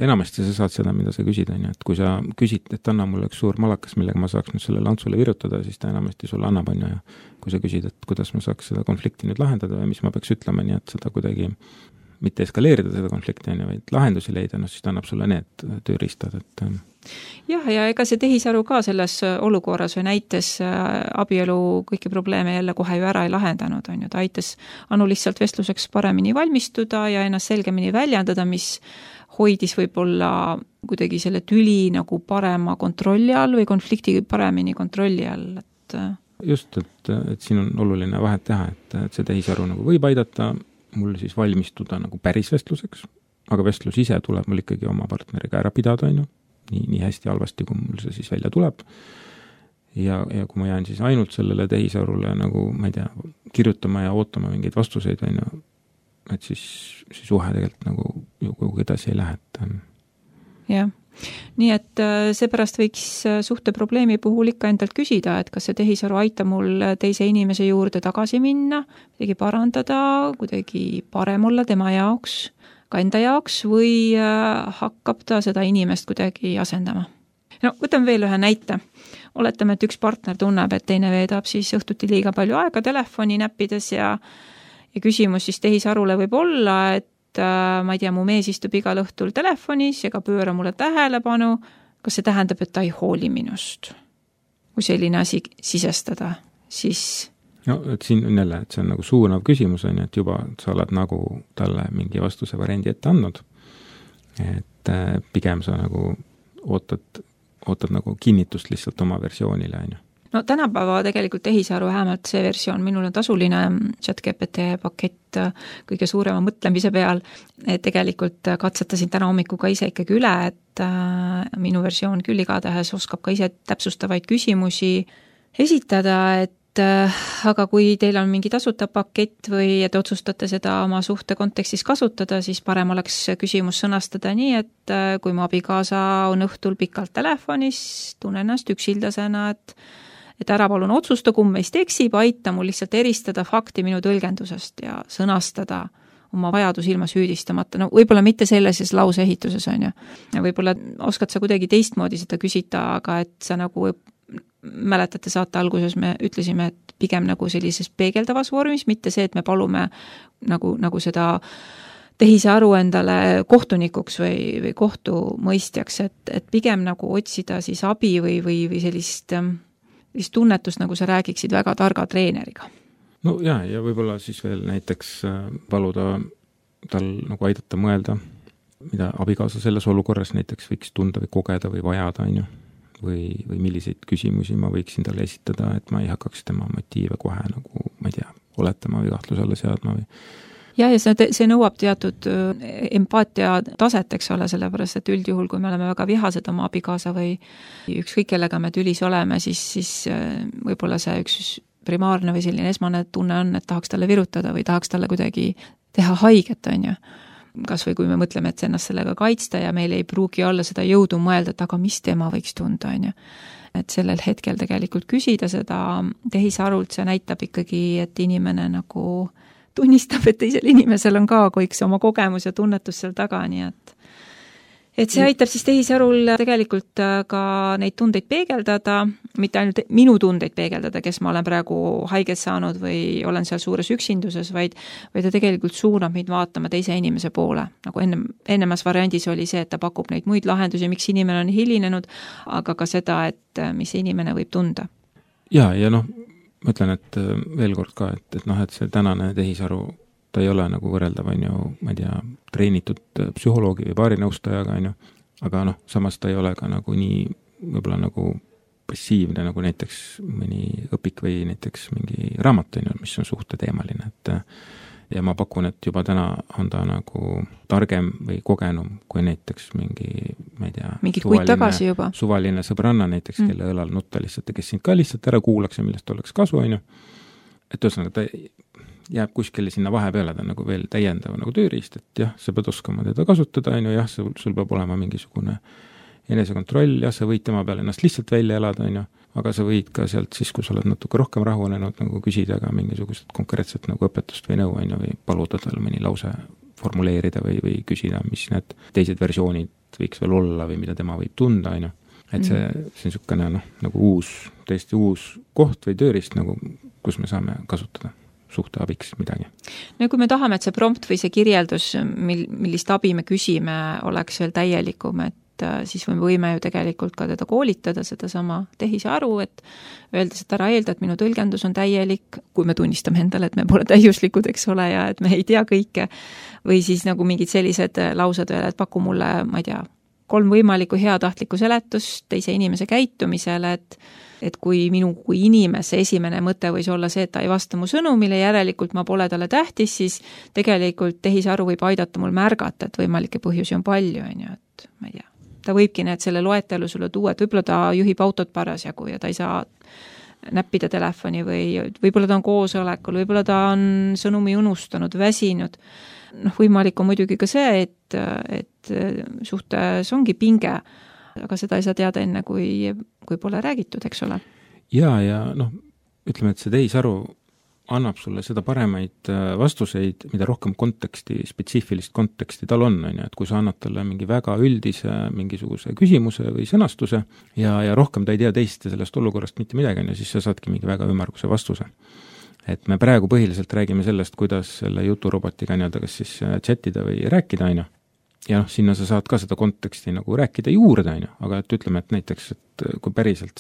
enamasti sa saad seda, mida sa küsid, et kui sa küsid, et anna mulle üks suur malakas, millega ma saaks nüüd sellele Antsule virutada, siis ta enamasti sulle annab, ja kui sa küsid, et kuidas ma saaks seda konflikti nüüd lahendada või mis ma peaks ütlema, nii et seda kuidagi mitte eskaleerida seda konflikti, vaid lahendusi leida, siis ta annab sulle need tööriistad, et jah, ja ega see tehisaru ka selles olukorras või näites abielu kõiki probleeme jälle kohe ju ära ei lahendanud, on ju, ta aitas Anu lihtsalt vestluseks paremini valmistuda ja ennast selgemini väljendada, mis hoidis võib-olla kuidagi selle tüli nagu parema kontrolli all või konflikti paremini kontrolli all, et just, et siin on oluline vahet teha, et see tehisaru nagu võib aidata mul siis valmistuda nagu päris vestluseks, aga vestlus ise tuleb mul ikkagi oma partneriga ära pidada, on ju, nii hästi halvasti, kui mul see siis välja tuleb. Ja kui ma jään siis ainult sellele tehisarule nagu, ma ei tea, kirjutama ja ootama mingeid vastuseid, on ju, et siis suhe tegelikult nagu kuhugi edasi ei lähe. Jah, nii et seepärast võiks suhteprobleemi puhul ikka endalt küsida, et kas see tehisaru aitab mul teise inimese juurde tagasi minna, kuidagi parandada, kuidagi parem olla tema jaoks, ka enda jaoks või hakkab ta seda inimest kuidagi asendama. No, võtame veel ühe näite. Oletame, et üks partner tunneb, et teine veedab siis õhtuti liiga palju aega telefoni näppides ja küsimus siis tehisarule võib olla, et ma ei tea, mu mees istub igal õhtul telefonis ega pööra mulle tähelepanu, kas see tähendab, et ta ei hooli minust? Kui selline asi sisestada, siis no, et siin on jälle, et see on nagu suunav küsimus, on, et juba sa oled nagu talle mingi vastuse variandi ette andnud, et pigem sa nagu ootad nagu kinnitust lihtsalt oma versioonile, on ju. No tänapäeva tegelikult tehisaru vähemalt see versioon, minul on tasuline ChatGPT pakett kõige suurema mõtlemise peal, et tegelikult katsetasin täna hommikul ka ise ikkagi üle, et minu versioon küll igatahes oskab ka ise täpsustavaid küsimusi esitada, et aga kui teil on mingi tasuta pakett või et otsustate seda oma suhte kontekstis kasutada, siis parem oleks küsimus sõnastada nii, et kui mu abikaasa on õhtul pikalt telefonis, tunnen ennast üksildasena, et ära palun otsusta, kumb meist eksib, aita mul lihtsalt eristada fakti minu tõlgendusest ja sõnastada oma vajadus ilma süüdistamata. No võib-olla mitte selles lauseehituses, on ju. Ja võib-olla oskad sa kuidagi teistmoodi seda küsida, aga et sa nagu mäletate saate alguses me ütlesime, et pigem nagu sellises peegeldavas vormis, mitte see, et me palume nagu seda tehisaru endale kohtunikuks või kohtumõistjaks, et pigem nagu otsida siis abi või sellist tunnetust, nagu sa räägiksid väga targa treeneriga. No ja võib-olla siis veel näiteks paluda tal nagu aidata mõelda mida abikaasa selles olukorras näiteks võiks tunda või kogeda või vajada, on ju. Või milliseid küsimusi ma võiksin talle esitada, et ma ei hakkaks tema motiive kohe nagu, ma ei tea, oletama või kahtluse alla seadma või. Ja see nõuab teatud empaatia taset, eks ole, sellepärast, et üldjuhul, kui me oleme väga vihased oma abikaasa või ükskõik kellega me tülis oleme, siis võib-olla see üks primaarne või selline esmane tunne on, et tahaks talle virutada või tahaks talle kuidagi teha haiget, on ju. Kas või kui me mõtleme, et ennast sellega kaitsta ja meil ei pruugi olla seda jõudu mõelda, et aga mis tema võiks tunda, on ju. Et sellel hetkel tegelikult küsida seda tehisarult, see näitab ikkagi, et inimene nagu tunnistab, et teisel inimesel on ka kõik see oma kogemus ja tunnetus seal taga, nii et see aitab siis tehisarul tegelikult ka neid tundeid peegeldada, mitte ainult minu tundeid peegeldada, kes ma olen praegu haiget saanud või olen seal suures üksinduses, vaid ta tegelikult suunab meid vaatama teise inimese poole. Nagu ennemas variandis oli see, et ta pakub neid muid lahendusi, miks inimene on hilinenud, aga ka seda, et mis inimene võib tunda. Ja noh, ma ütlen, et veel kord ka, et see tänane tehisaru, ta ei ole nagu võrreldav, on ju, ma ei tea, treenitud psühholoogi või baarinõustajaga, on ju, aga samas ta ei ole ka nagu nii võib-olla nagu passiivne, nagu näiteks mõni õpik või näiteks mingi raamat, on ju, mis on suhteteemaline, et ja ma pakun, et juba täna on ta nagu targem või kogenum kui näiteks mingi, ma ei tea, suvaline sõbranna näiteks, kelle õlal nutta lihtsalt ja kes sind ka lihtsalt ära kuulaks ja millest oleks kasu, on ju. Et ühesõnaga, ta jääb kuskile sinna vahepeale, ta nagu veel täiendav nagu tööriist, et jah, sa pead oskama teda kasutada, on ju, jah, sul peab olema mingisugune enesekontroll, jah, sa võid tema peale ennast lihtsalt välja elada, on ju, aga sa võid ka sealt siis, kui sa oled natuke rohkem rahunenud, nagu küsida ka mingisugust konkreetset nagu õpetust või nõu, on ju, või paluda tal mõni lause formuleerida või küsida, mis need teised versioonid võiks veel olla või mida tema võib tunda, on ju. Et see on niisugune nagu täiesti uus koht või tööriist, nagu, kus me saame kasutada suhte abiks midagi. No kui me tahame, et see prompt või see kirjeldus, millist abi me küsime, oleks veel täielikum, et siis me võime ju tegelikult ka teda koolitada, seda sama tehisaru, et öeldes, et ära eelda, et minu tõlgendus on täielik, kui me tunnistame endale, et me pole täiuslikud, eks ole, ja et me ei tea kõike, või siis nagu mingid sellised laused veel, et paku mulle, ma ei tea, 3 võimalikku heatahtlikku seletust teise inimese käitumisele, et kui minu kui inimese esimene mõte võis olla see, et ta ei vasta mu sõnumile, järelikult ma pole talle tähtis, siis tegelikult tehisaru võib aidata mul märgata, et võimalikke põhjusi on palju, on ju, et ma ei tea. Ta võibki need selle loetelu sulle tuua, et võib-olla ta juhib autot parasjagu ja ta ei saa näppida telefoni või võib-olla ta on koosolekul, võib-olla ta on sõnumi unustanud, väsinud. Võimalik on muidugi ka see, et suhtes ongi pinge, aga seda ei saa teada enne, kui pole räägitud, eks ole. Ja ütleme, et see tehisaru annab sulle seda paremaid vastuseid, mida rohkem konteksti, spetsiifilist konteksti tal on, et kui sa annad talle mingi väga üldise mingisuguse küsimuse või sõnastuse ja rohkem ta ei tea teist sellest olukorrast mitte midagi, siis sa saadki mingi väga ümmarguse vastuse. Et me praegu põhiliselt räägime sellest, kuidas selle juturobotiga kas siis chatida või rääkida, on ju. Ja sinna sa saad ka seda konteksti nagu rääkida juurde, on ju, aga et ütleme, et näiteks, et kui päriselt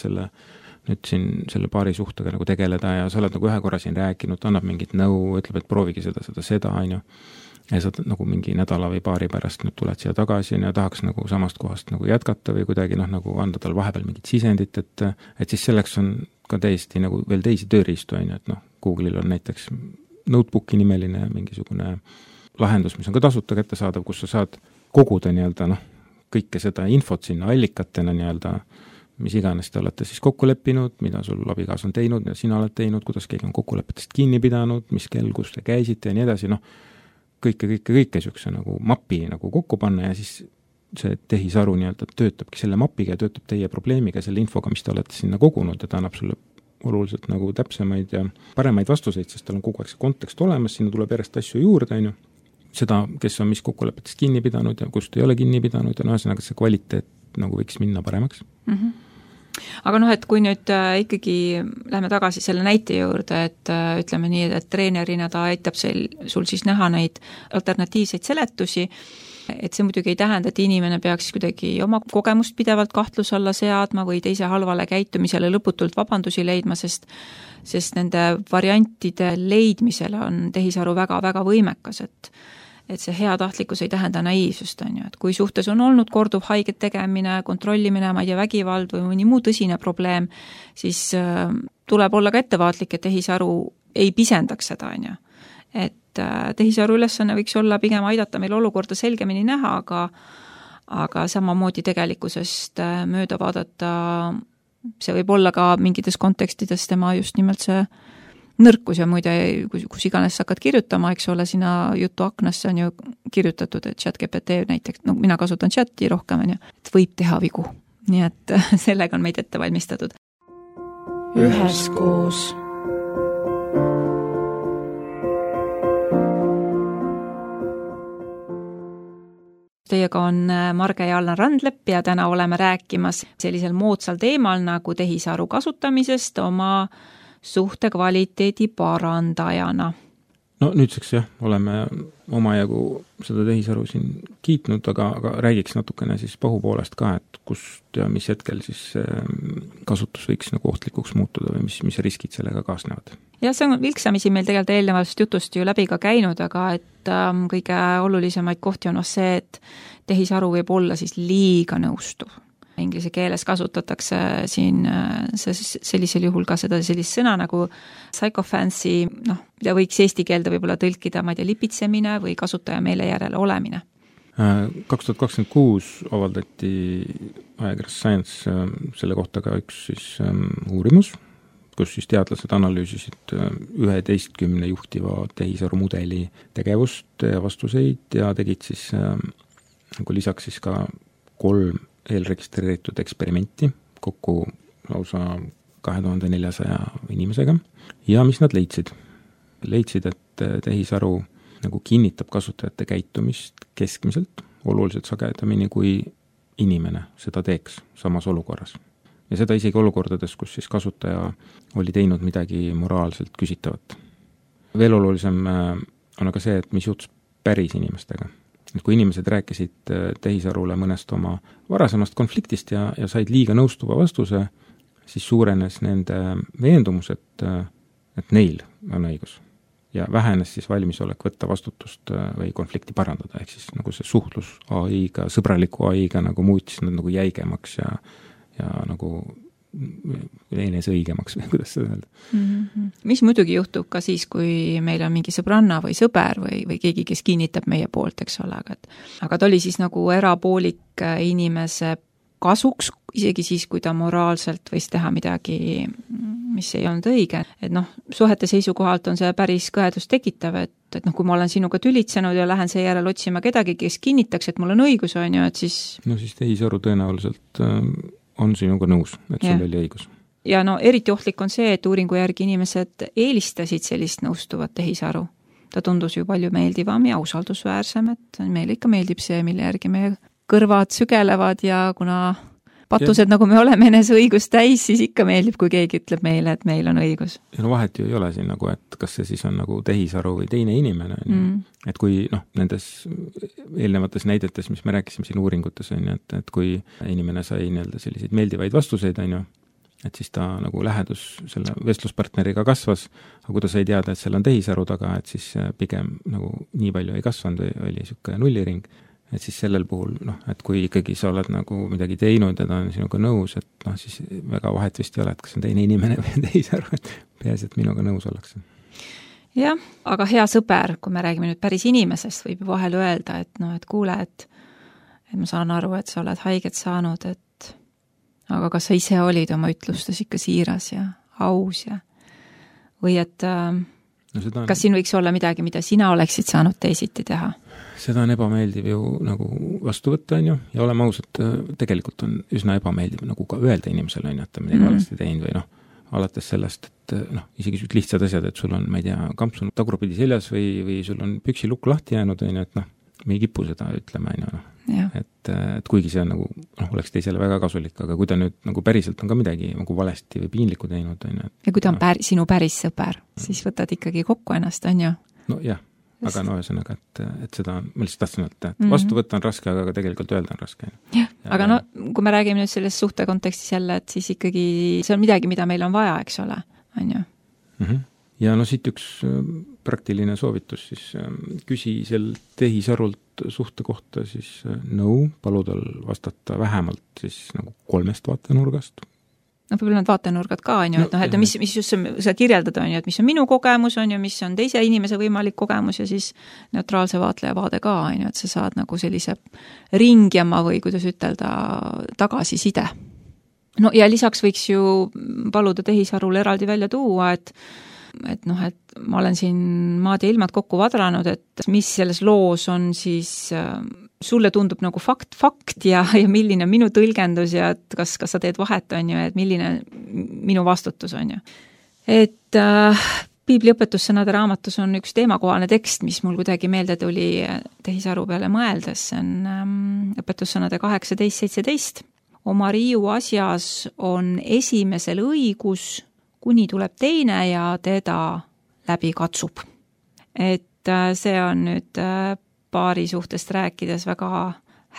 nüüd siin selle paari suhtega nagu tegeleda ja sa oled nagu ühe korra siin rääkinud, annab mingit nõu, ütleb, et proovigi seda, on ju. Ja sa nagu mingi nädala või paari pärast nüüd tuled siia tagasi ja tahaks nagu samast kohast nagu jätkata või kuidagi nagu anda tal vahepeal mingit sisendit, et siis selleks on ka täiesti nagu veel teisi tööriistu, on ju, et Google'il on näiteks Notebooki nimeline mingisugune lahendus, mis on ka tasuta kättesaadav, kus sa saad koguda kõike seda infot sinna allikatena mis iganes te olete siis kokku leppinud, mida sul abikaas on teinud, mida sina oled teinud, kuidas keegi on kokkulepetest kinni pidanud, mis kell, kus te käisite ja nii edasi, kõike niisuguse nagu mapi nagu kokku panna ja siis see tehisaru töötabki selle mapiga ja töötab teie probleemiga, selle infoga, mis te olete sinna kogunud ja ta annab sulle oluliselt nagu täpsemaid ja paremaid vastuseid, sest tal on kogu aeg see kontekst olemas, sinna tuleb järjest asju juurde, on ju. Seda, kes on mis kokkulepetest kinni pidanud ja kust ei ole kinni pidanud ja ühesõnaga see kvaliteet nagu võiks minna paremaks. Aga et kui nüüd ikkagi läheme tagasi selle näite juurde, et ütleme nii, et treenerina ta aitab sul siis näha neid alternatiivseid seletusi, et see muidugi ei tähenda, et inimene peaks kuidagi oma kogemust pidevalt kahtluse alla seadma või teise halvale käitumisele lõputult vabandusi leidma, sest nende variantide leidmisele on tehisaru väga-väga võimekas, et see heatahtlikkus ei tähenda naiivsust, on ju, et kui suhtes on olnud korduv haiget tegemine, kontrollimine, ma ei tea, vägivald või mõni muu tõsine probleem, siis tuleb olla ka ettevaatlik, et tehisaru ei pisendaks seda, on ju. Et tehisaru ülesanne võiks olla pigem aidata meil olukorda selgemini näha, aga samamoodi tegelikkusest mööda vaadata, see võib olla ka mingites kontekstides tema just nimelt see nõrkus ja muide, kus iganes sa hakkad kirjutama, eks ole, sina jutu aknasse on ju kirjutatud, et ChatGPT näiteks, no mina kasutan chati rohkem, on ju, et võib teha vigu. Nii et sellega on meid ette valmistatud. Üheskoos. Teiega on Marge ja Allan Randlepp ja täna oleme rääkimas sellisel moodsal teemal nagu tehisaru kasutamisest oma suhte kvaliteedi parandajana. No nüüdseks jah, oleme omajagu seda tehisaru siin kiitnud, aga räägiks natukene siis pahupoolest ka, et kust ja mis hetkel siis kasutus võiks nagu ohtlikuks muutuda või mis riskid sellega kaasnevad. Ja see on vilksamisi meil tegelikult eelnevast jutust ju läbi ka käinud, aga et kõige olulisemaid kohti on see, et tehisaru võib olla siis liiga nõustuv. Inglise keeles kasutatakse siin sellisel juhul ka seda sellist sõna nagu psychofancy, mida võiks eesti keelde võib-olla tõlkida, ma ei tea, lipitsemine või kasutaja meele järele olemine. 2026 avaldati ajakirjas Science selle kohta ka üks siis uurimus, kus siis teadlased analüüsisid 11 juhtiva tehisaru mudeli tegevust ja vastuseid ja tegid siis nagu lisaks siis ka 3 eelregistreeritud eksperimenti kokku lausa 2400 inimesega ja mis nad leidsid? Leidsid, et tehisaru nagu kinnitab kasutajate käitumist keskmiselt oluliselt sagedamini kui inimene seda teeks samas olukorras. Ja seda isegi olukordades, kus siis kasutaja oli teinud midagi moraalselt küsitavat. Veel olulisem on aga see, et mis juhtus päris inimestega. Et kui inimesed rääkisid tehisarule mõnest oma varasemast konfliktist ja said liiga nõustuva vastuse, siis suurenes nende veendumus, et neil on õigus. Ja vähenes siis valmisolek võtta vastutust või konflikti parandada, ehk siis nagu see suhtlus AI-ga, sõbraliku AI-ga nagu muutis nad nagu jäigemaks ja nagu enes õigemaks või kuidas seda öelda. Mm-hmm. Mis muidugi juhtub ka siis, kui meil on mingi sõbranna või sõber või keegi, kes kinnitab meie poolt, eks ole, aga ta oli siis nagu erapoolik inimese kasuks, isegi siis, kui ta moraalselt võis teha midagi, mis ei olnud õige. Et suhete seisukohalt on see päris kõhedust tekitav, et kui ma olen sinuga tülitsenud ja lähen seejärel otsima kedagi, kes kinnitaks, et mul on õigus, on ju, et siis... No siis tehisaru tõenäoliselt on sinuga nõus, et sul oli õigus. Ja eriti ohtlik on see, et uuringu järgi inimesed eelistasid sellist nõustuvat tehisaru. Ta tundus ju palju meeldivam ja usaldusväärsem, et meile ikka meeldib see, mille järgi meie kõrvad sügelevad ja kuna patused, nagu me oleme enese õigust täis, siis ikka meeldib, kui keegi ütleb meile, et meil on õigus. Ja vahet ju ei ole siin nagu, et kas see siis on nagu tehisaru või teine inimene. Et kui nendes eelnevates näidetes, mis me rääkisime siin uuringutes, et kui inimene sai selliseid meeldivaid vastuseid, et siis ta nagu lähedus selle vestluspartneriga kasvas, aga kui ta sai teada, et seal on tehisaru taga, et siis pigem nagu nii palju ei kasvanud või oli niisugune nulliring. Et siis sellel puhul, et kui ikkagi sa oled nagu midagi teinud ja ta on sinuga nõus, et siis väga vahet vist ei ole, et kas on teine inimene või tehisaru, et peaasi, et minuga nõus ollakse. Jah, aga hea sõber, kui me räägime nüüd päris inimesest, võib ju vahel öelda, et kuule, et ma saan aru, et sa oled haiget saanud, aga kas sa ise olid oma ütlustes ikka siiras ja aus ja või et kas siin võiks olla midagi, mida sina oleksid saanud teisiti teha? Seda on ebameeldiv ju nagu vastu võtta, ja oleme ausad, tegelikult on üsna ebameeldiv nagu ka öelda inimesele, et ta midagi valesti teinud või alates sellest, et isegi lihtsad asjad, et sul on, ma ei tea, kampsun tagurpidi seljas või sul on püksi lukk lahti jäänud, et me ei kipu seda ütlema, et kuigi see on nagu, oleks teisele väga kasulik, aga kui ta nüüd nagu päriselt on ka midagi nagu valesti või piinlikku teinud, ja kui ta on sinu päris sõber, siis võtad ikkagi kokku ennast, on ju? No jah, aga ühesõnaga, et seda ma lihtsalt tahtsin öelda, et vastu võtta on raske, aga tegelikult öelda on raske. Aga kui me räägime nüüd selles suhte kontekstis jälle, et siis ikkagi see on midagi, mida meil on vaja, eks ole, on ju? Ja siit üks praktiline soovitus, siis küsi sel tehisarult suhte kohta siis nõu, palu tal vastata vähemalt siis nagu 3 vaatenurgast. No võib-olla need vaatenurgad ka, on ju, et noh, et mis just sa kirjeldad, on ju, et mis on minu kogemus, on ju, mis on teise inimese võimalik kogemus ja siis neutraalse vaatleja vaade ka, on ju, et sa saad nagu sellise ringjama või kuidas ütelda, tagasiside. No ja lisaks võiks ju paluda tehisarul eraldi välja tuua, et ma olen siin maad ja ilmad kokku vadranud, et mis selles loos on siis sulle tundub nagu fakt ja milline on minu tõlgendus ja et kas sa teed vahet, on ju, et milline minu vastutus on ju. Et Piibliõpetussõnade raamatus on üks teemakohane tekst, mis mul kuidagi meelde tuli tehisaru peale mõeldes, see on õpetussõnade 18-17. Oma riiu asjas on esimesel õigus, kuni tuleb teine ja teda läbi katsub. Et see on nüüd paari suhtest rääkides väga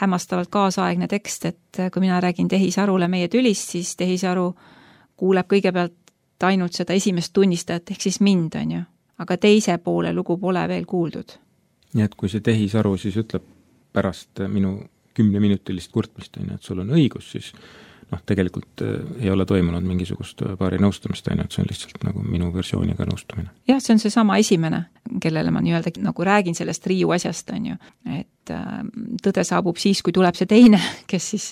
hämmastavalt kaasaegne tekst, et kui mina räägin tehisarule meie tülist, siis tehisaru kuuleb kõigepealt ainult seda esimest tunnistajat, ehk siis mind, on ju. Aga teise poole lugu pole veel kuuldud. Nii et kui see tehisaru siis ütleb pärast minu 10-minutilist kurtmist, et sul on õigus, siis tegelikult ei ole toimunud mingisugust paari nõustamist, et see on lihtsalt nagu minu versiooniga nõustumine. Jah, see on see sama esimene, kellele ma nii-öelda nagu räägin sellest riiu asjast, on ju. Et tõde saabub siis, kui tuleb see teine, kes siis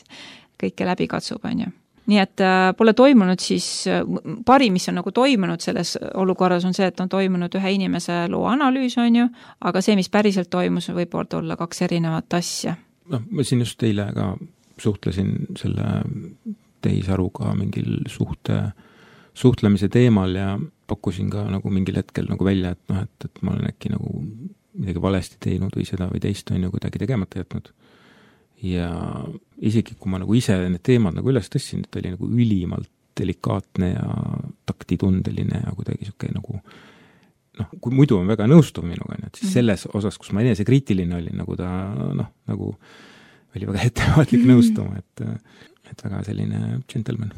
kõike läbi katsub, on ju. Nii et pole toimunud siis, parim, mis on nagu toimunud selles olukorras on see, et on toimunud ühe inimese loo analüüs, on ju, aga see, mis päriselt toimus, võib olla 2 erinevat asja. Ma siin just eile ka suhtlesin selle tehisaruga mingil suhtlemise teemal ja pakkusin ka nagu mingil hetkel nagu välja, et ma olen äkki nagu midagi valesti teinud või seda või teist on ju kuidagi tegemata jätnud. Ja isegi kui ma nagu ise need teemad nagu üles tõssin, et oli nagu ülimalt delikaatne ja taktitundeline ja kuidagi siuke nagu kui muidu on väga nõustuv minuga, et siis selles osas, kus ma enese kriitiline olin, nagu ta nagu oli väga ettevaatlik nõustuma, et väga selline gentleman.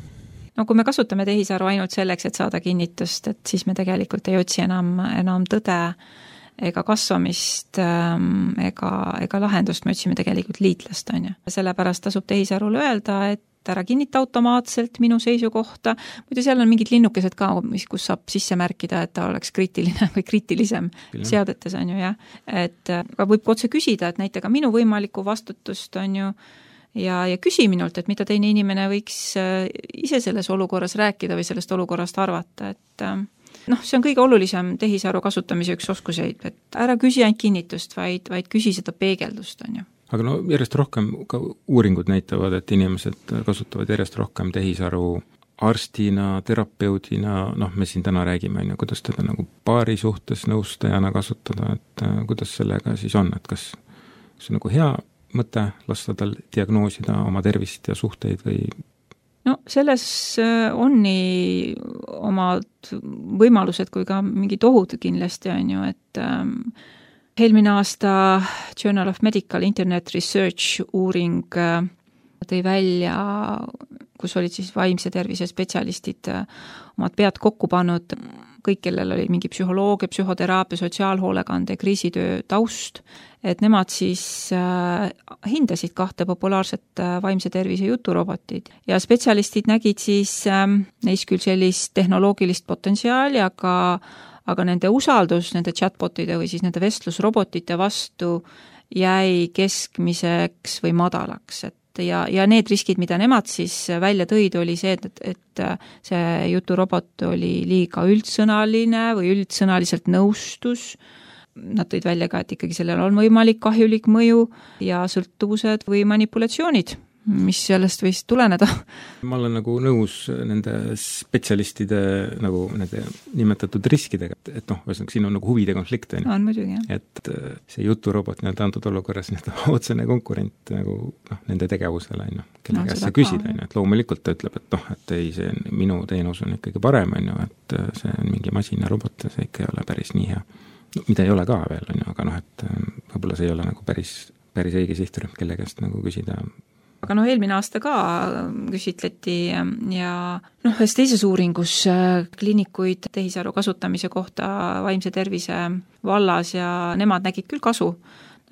No kui me kasutame tehisaru ainult selleks, et saada kinnitust, et siis me tegelikult ei otsi enam tõde ega kasvamist ega lahendust, me otsime tegelikult liitlast, on ju. Sellepärast tasub tehisarul öelda, et ära kinnita automaatselt minu seisukohta. Muidu seal on mingid linnukesed ka, kus saab sisse märkida, et ta oleks kriitiline või kriitilisem seadetes, on ju, jah. Et võib otse küsida, et näita ka minu võimalikku vastutust, on ju, ja küsi minult, et mida teine inimene võiks ise selles olukorras rääkida või sellest olukorrast arvata, et see on kõige olulisem tehisaru kasutamise üks oskuseid, et ära küsi ainult kinnitust, vaid küsi seda peegeldust, on ju. Aga järjest rohkem ka uuringud näitavad, et inimesed kasutavad järjest rohkem tehisaru arstina, terapeudina, me siin täna räägime, on ju, kuidas teda nagu paari suhtes nõustajana kasutada, et kuidas sellega siis on, et kas see on nagu hea mõte lasta tal diagnoosida oma tervist ja suhteid või? No selles on nii omad võimalused kui ka mingid ohud kindlasti, on ju, et eelmine aasta Journal of Medical Internet Research uuring tõi välja, kus olid siis vaimse tervise spetsialistid omad pead kokku pannud, kõik, kellel oli mingi psühholoogia, psühhoteraapia, sotsiaalhoolekande, kriisitöö taust, et nemad siis hindasid 2 populaarset vaimse tervise juturobotit ja spetsialistid nägid siis neis küll sellist tehnoloogilist potentsiaali, aga nende usaldus nende chatbotide või siis nende vestlusrobotite vastu jäi keskmiseks või madalaks, ja need riskid, mida nemad siis välja tõid, oli see, et see juturobot oli liiga üldsõnaline või üldsõnaliselt nõustus. Nad tõid välja ka, et ikkagi sellel on võimalik kahjulik mõju ja sõltuvused või manipulatsioonid, mis sellest võis tuleneda. Ma olen nagu nõus nende spetsialistide nagu nende nimetatud riskidega, et siin on nagu huvide konflikt. On muidugi, jah. Et see juturobot antud olukorras otsene konkurent nagu nende tegevusele, kelle käest sa küsid, et loomulikult ta ütleb, et ei, see minu teenus on ikkagi parem, et see on mingi masin ja robot ja see ikka ei ole päris nii hea. Mida ei ole ka veel, aga et võib-olla see ei ole nagu päris õige sihtrühm, kelle käest nagu küsida aga eelmine aasta ka küsitleti ja ühes teises uuringus kliinikuid tehisaru kasutamise kohta vaimse tervise vallas ja nemad nägid küll kasu.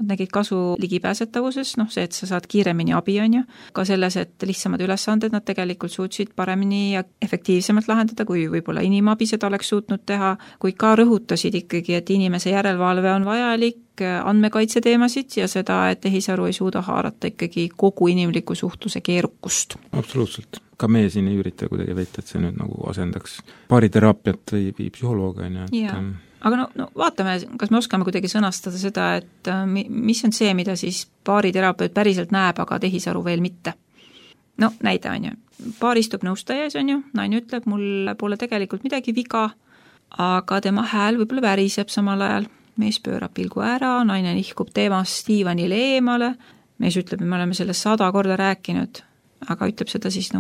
Nad nägid kasu ligipääsetavuses, see, et sa saad kiiremini abi, on ju. Ka selles, et lihtsamad ülesanded nad tegelikult suutsid paremini ja efektiivsemalt lahendada, kui võib-olla inimabi seda oleks suutnud teha, kuid ka rõhutasid ikkagi, et inimese järelevalve on vajalik, andmekaitse teemasid ja seda, et tehisaru ei suuda haarata ikkagi kogu inimliku suhtluse keerukust. Absoluutselt. Ka meie siin ei ürita kuidagi veita, et see nüüd nagu asendaks baariteraapiat või psühholooga, on ju. Aga vaatame, kas me oskame kuidagi sõnastada seda, et mis on see, mida siis baariterapeut päriselt näeb, aga tehisaru veel mitte. Näide on ju. Baar istub nõustajas, on ju, naine ütleb, mul pole tegelikult midagi viga, aga tema hääl võib-olla väriseb samal ajal. Mees pöörab pilgu ära, naine nihkub teemast diivanile eemale, mees ütleb, et me oleme sellest 100 korda rääkinud, aga ütleb seda siis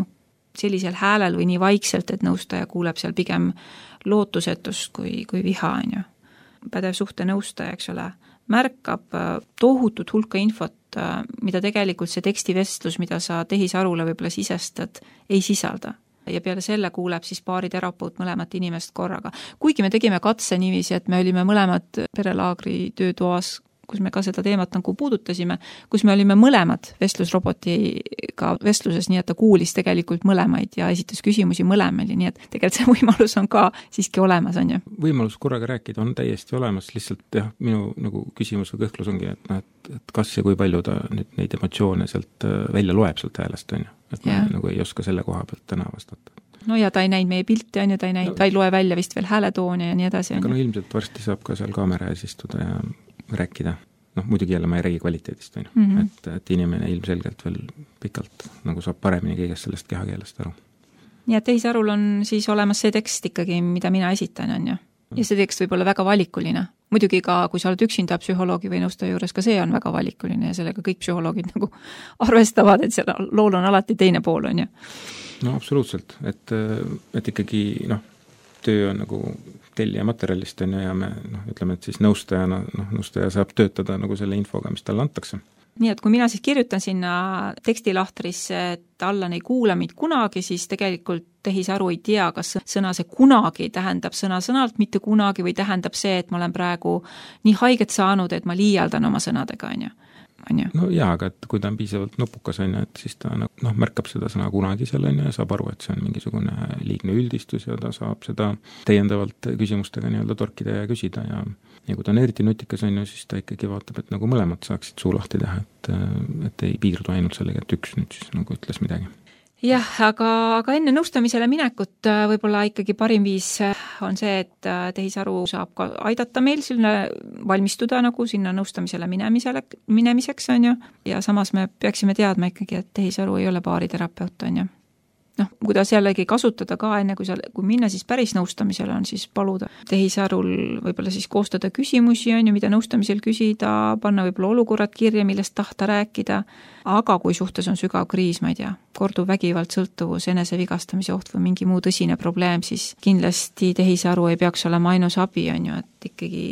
sellisel häälel või nii vaikselt, et nõustaja kuuleb seal pigem lootusetust kui viha, on ju. Pädev suhte nõustaja, eks ole, märkab tohutut hulka infot, mida tegelikult see tekstivestlus, mida sa tehisarule võib-olla sisestad, ei sisalda. Ja peale selle kuuleb siis baariterapeut mõlemat inimest korraga. Kuigi me tegime katse niiviisi, et me olime mõlemad perelaagri töötoas, kus me ka seda teemat puudutasime, kus me olime mõlemad vestlusrobotiga vestluses, nii et ta kuulis tegelikult mõlemaid ja esitas küsimusi mõlemali, nii et tegelikult see võimalus on ka siiski olemas, on ju. Võimalus korraga rääkida on täiesti olemas, lihtsalt minu küsimus või kõhklus ongi, et kas ja kui palju ta nüüd neid emotsioone sealt välja loeb sealt häälest, on ju. Et ma ei oska selle koha pealt täna vastata. Ja ta ei näinud meie pilti, on ju, ta ei loe välja vist veel hääletooni ja nii edasi. Aga ilmselt varsti saab ka seal kaamera ees istuda ja rääkida. Muidugi jälle ma ei räägi kvaliteedist, on ju. Et inimene ilmselgelt veel pikalt saab paremini kõigest sellest kehakeelest aru. Nii et tehisarul on siis olemas see tekst ikkagi, mida mina esitan, on ju. Ja see tekst võib olla väga valikuline. Muidugi ka, kui sa oled üksinda psühholoogi või nõustaja juures, ka see on väga valikuline ja sellega kõik psühholoogid arvestavad, et seal lool on alati teine pool, on ju. Absoluutselt, et ikkagi töö on tellija materjalist, on ju, ja me ütleme, et siis nõustaja saab töötada selle infoga, mis talle antakse. Nii et kui mina siis kirjutan sinna tekstilahtrisse, et Allan ei kuula mind kunagi, siis tegelikult tehisaru ei tea, kas sõna see kunagi tähendab sõna-sõnalt mitte kunagi või tähendab see, et ma olen praegu nii haiget saanud, et ma liialdan oma sõnadega, on ju. Aga et kui ta on piisavalt nupukas, on ju, et siis ta märkab seda sõna kunagi seal, on ju, ja saab aru, et see on mingisugune liigne üldistus ja ta saab seda täiendavalt küsimustega torkida ja küsida ja kui ta on eriti nutikas, on ju, siis ta ikkagi vaatab, et mõlemad saaksid suu lahti teha, et ei piirdu ainult sellega, et üks nüüd siis ütles midagi. Jah, aga enne nõustamisele minekut võib-olla ikkagi parim viis on see, et tehisaru saab ka aidata meil valmistuda sinna nõustamisele minemiseks, on ju, ja samas me peaksime teadma ikkagi, et tehisaru ei ole baariterapeut, on ju. Kuidas jällegi kasutada ka enne, kui minna siis päris nõustamisele, on siis paluda tehisarul võib-olla siis koostada küsimusi, on ju, mida nõustamisel küsida, panna võib-olla olukorrad kirja, millest tahta rääkida, aga kui suhtes on sügav kriis, ma ei tea, korduv vägivald, sõltuvus, enesevigastamise oht või mingi muu tõsine probleem, siis kindlasti tehisaru ei peaks olema ainus abi, on ju, et ikkagi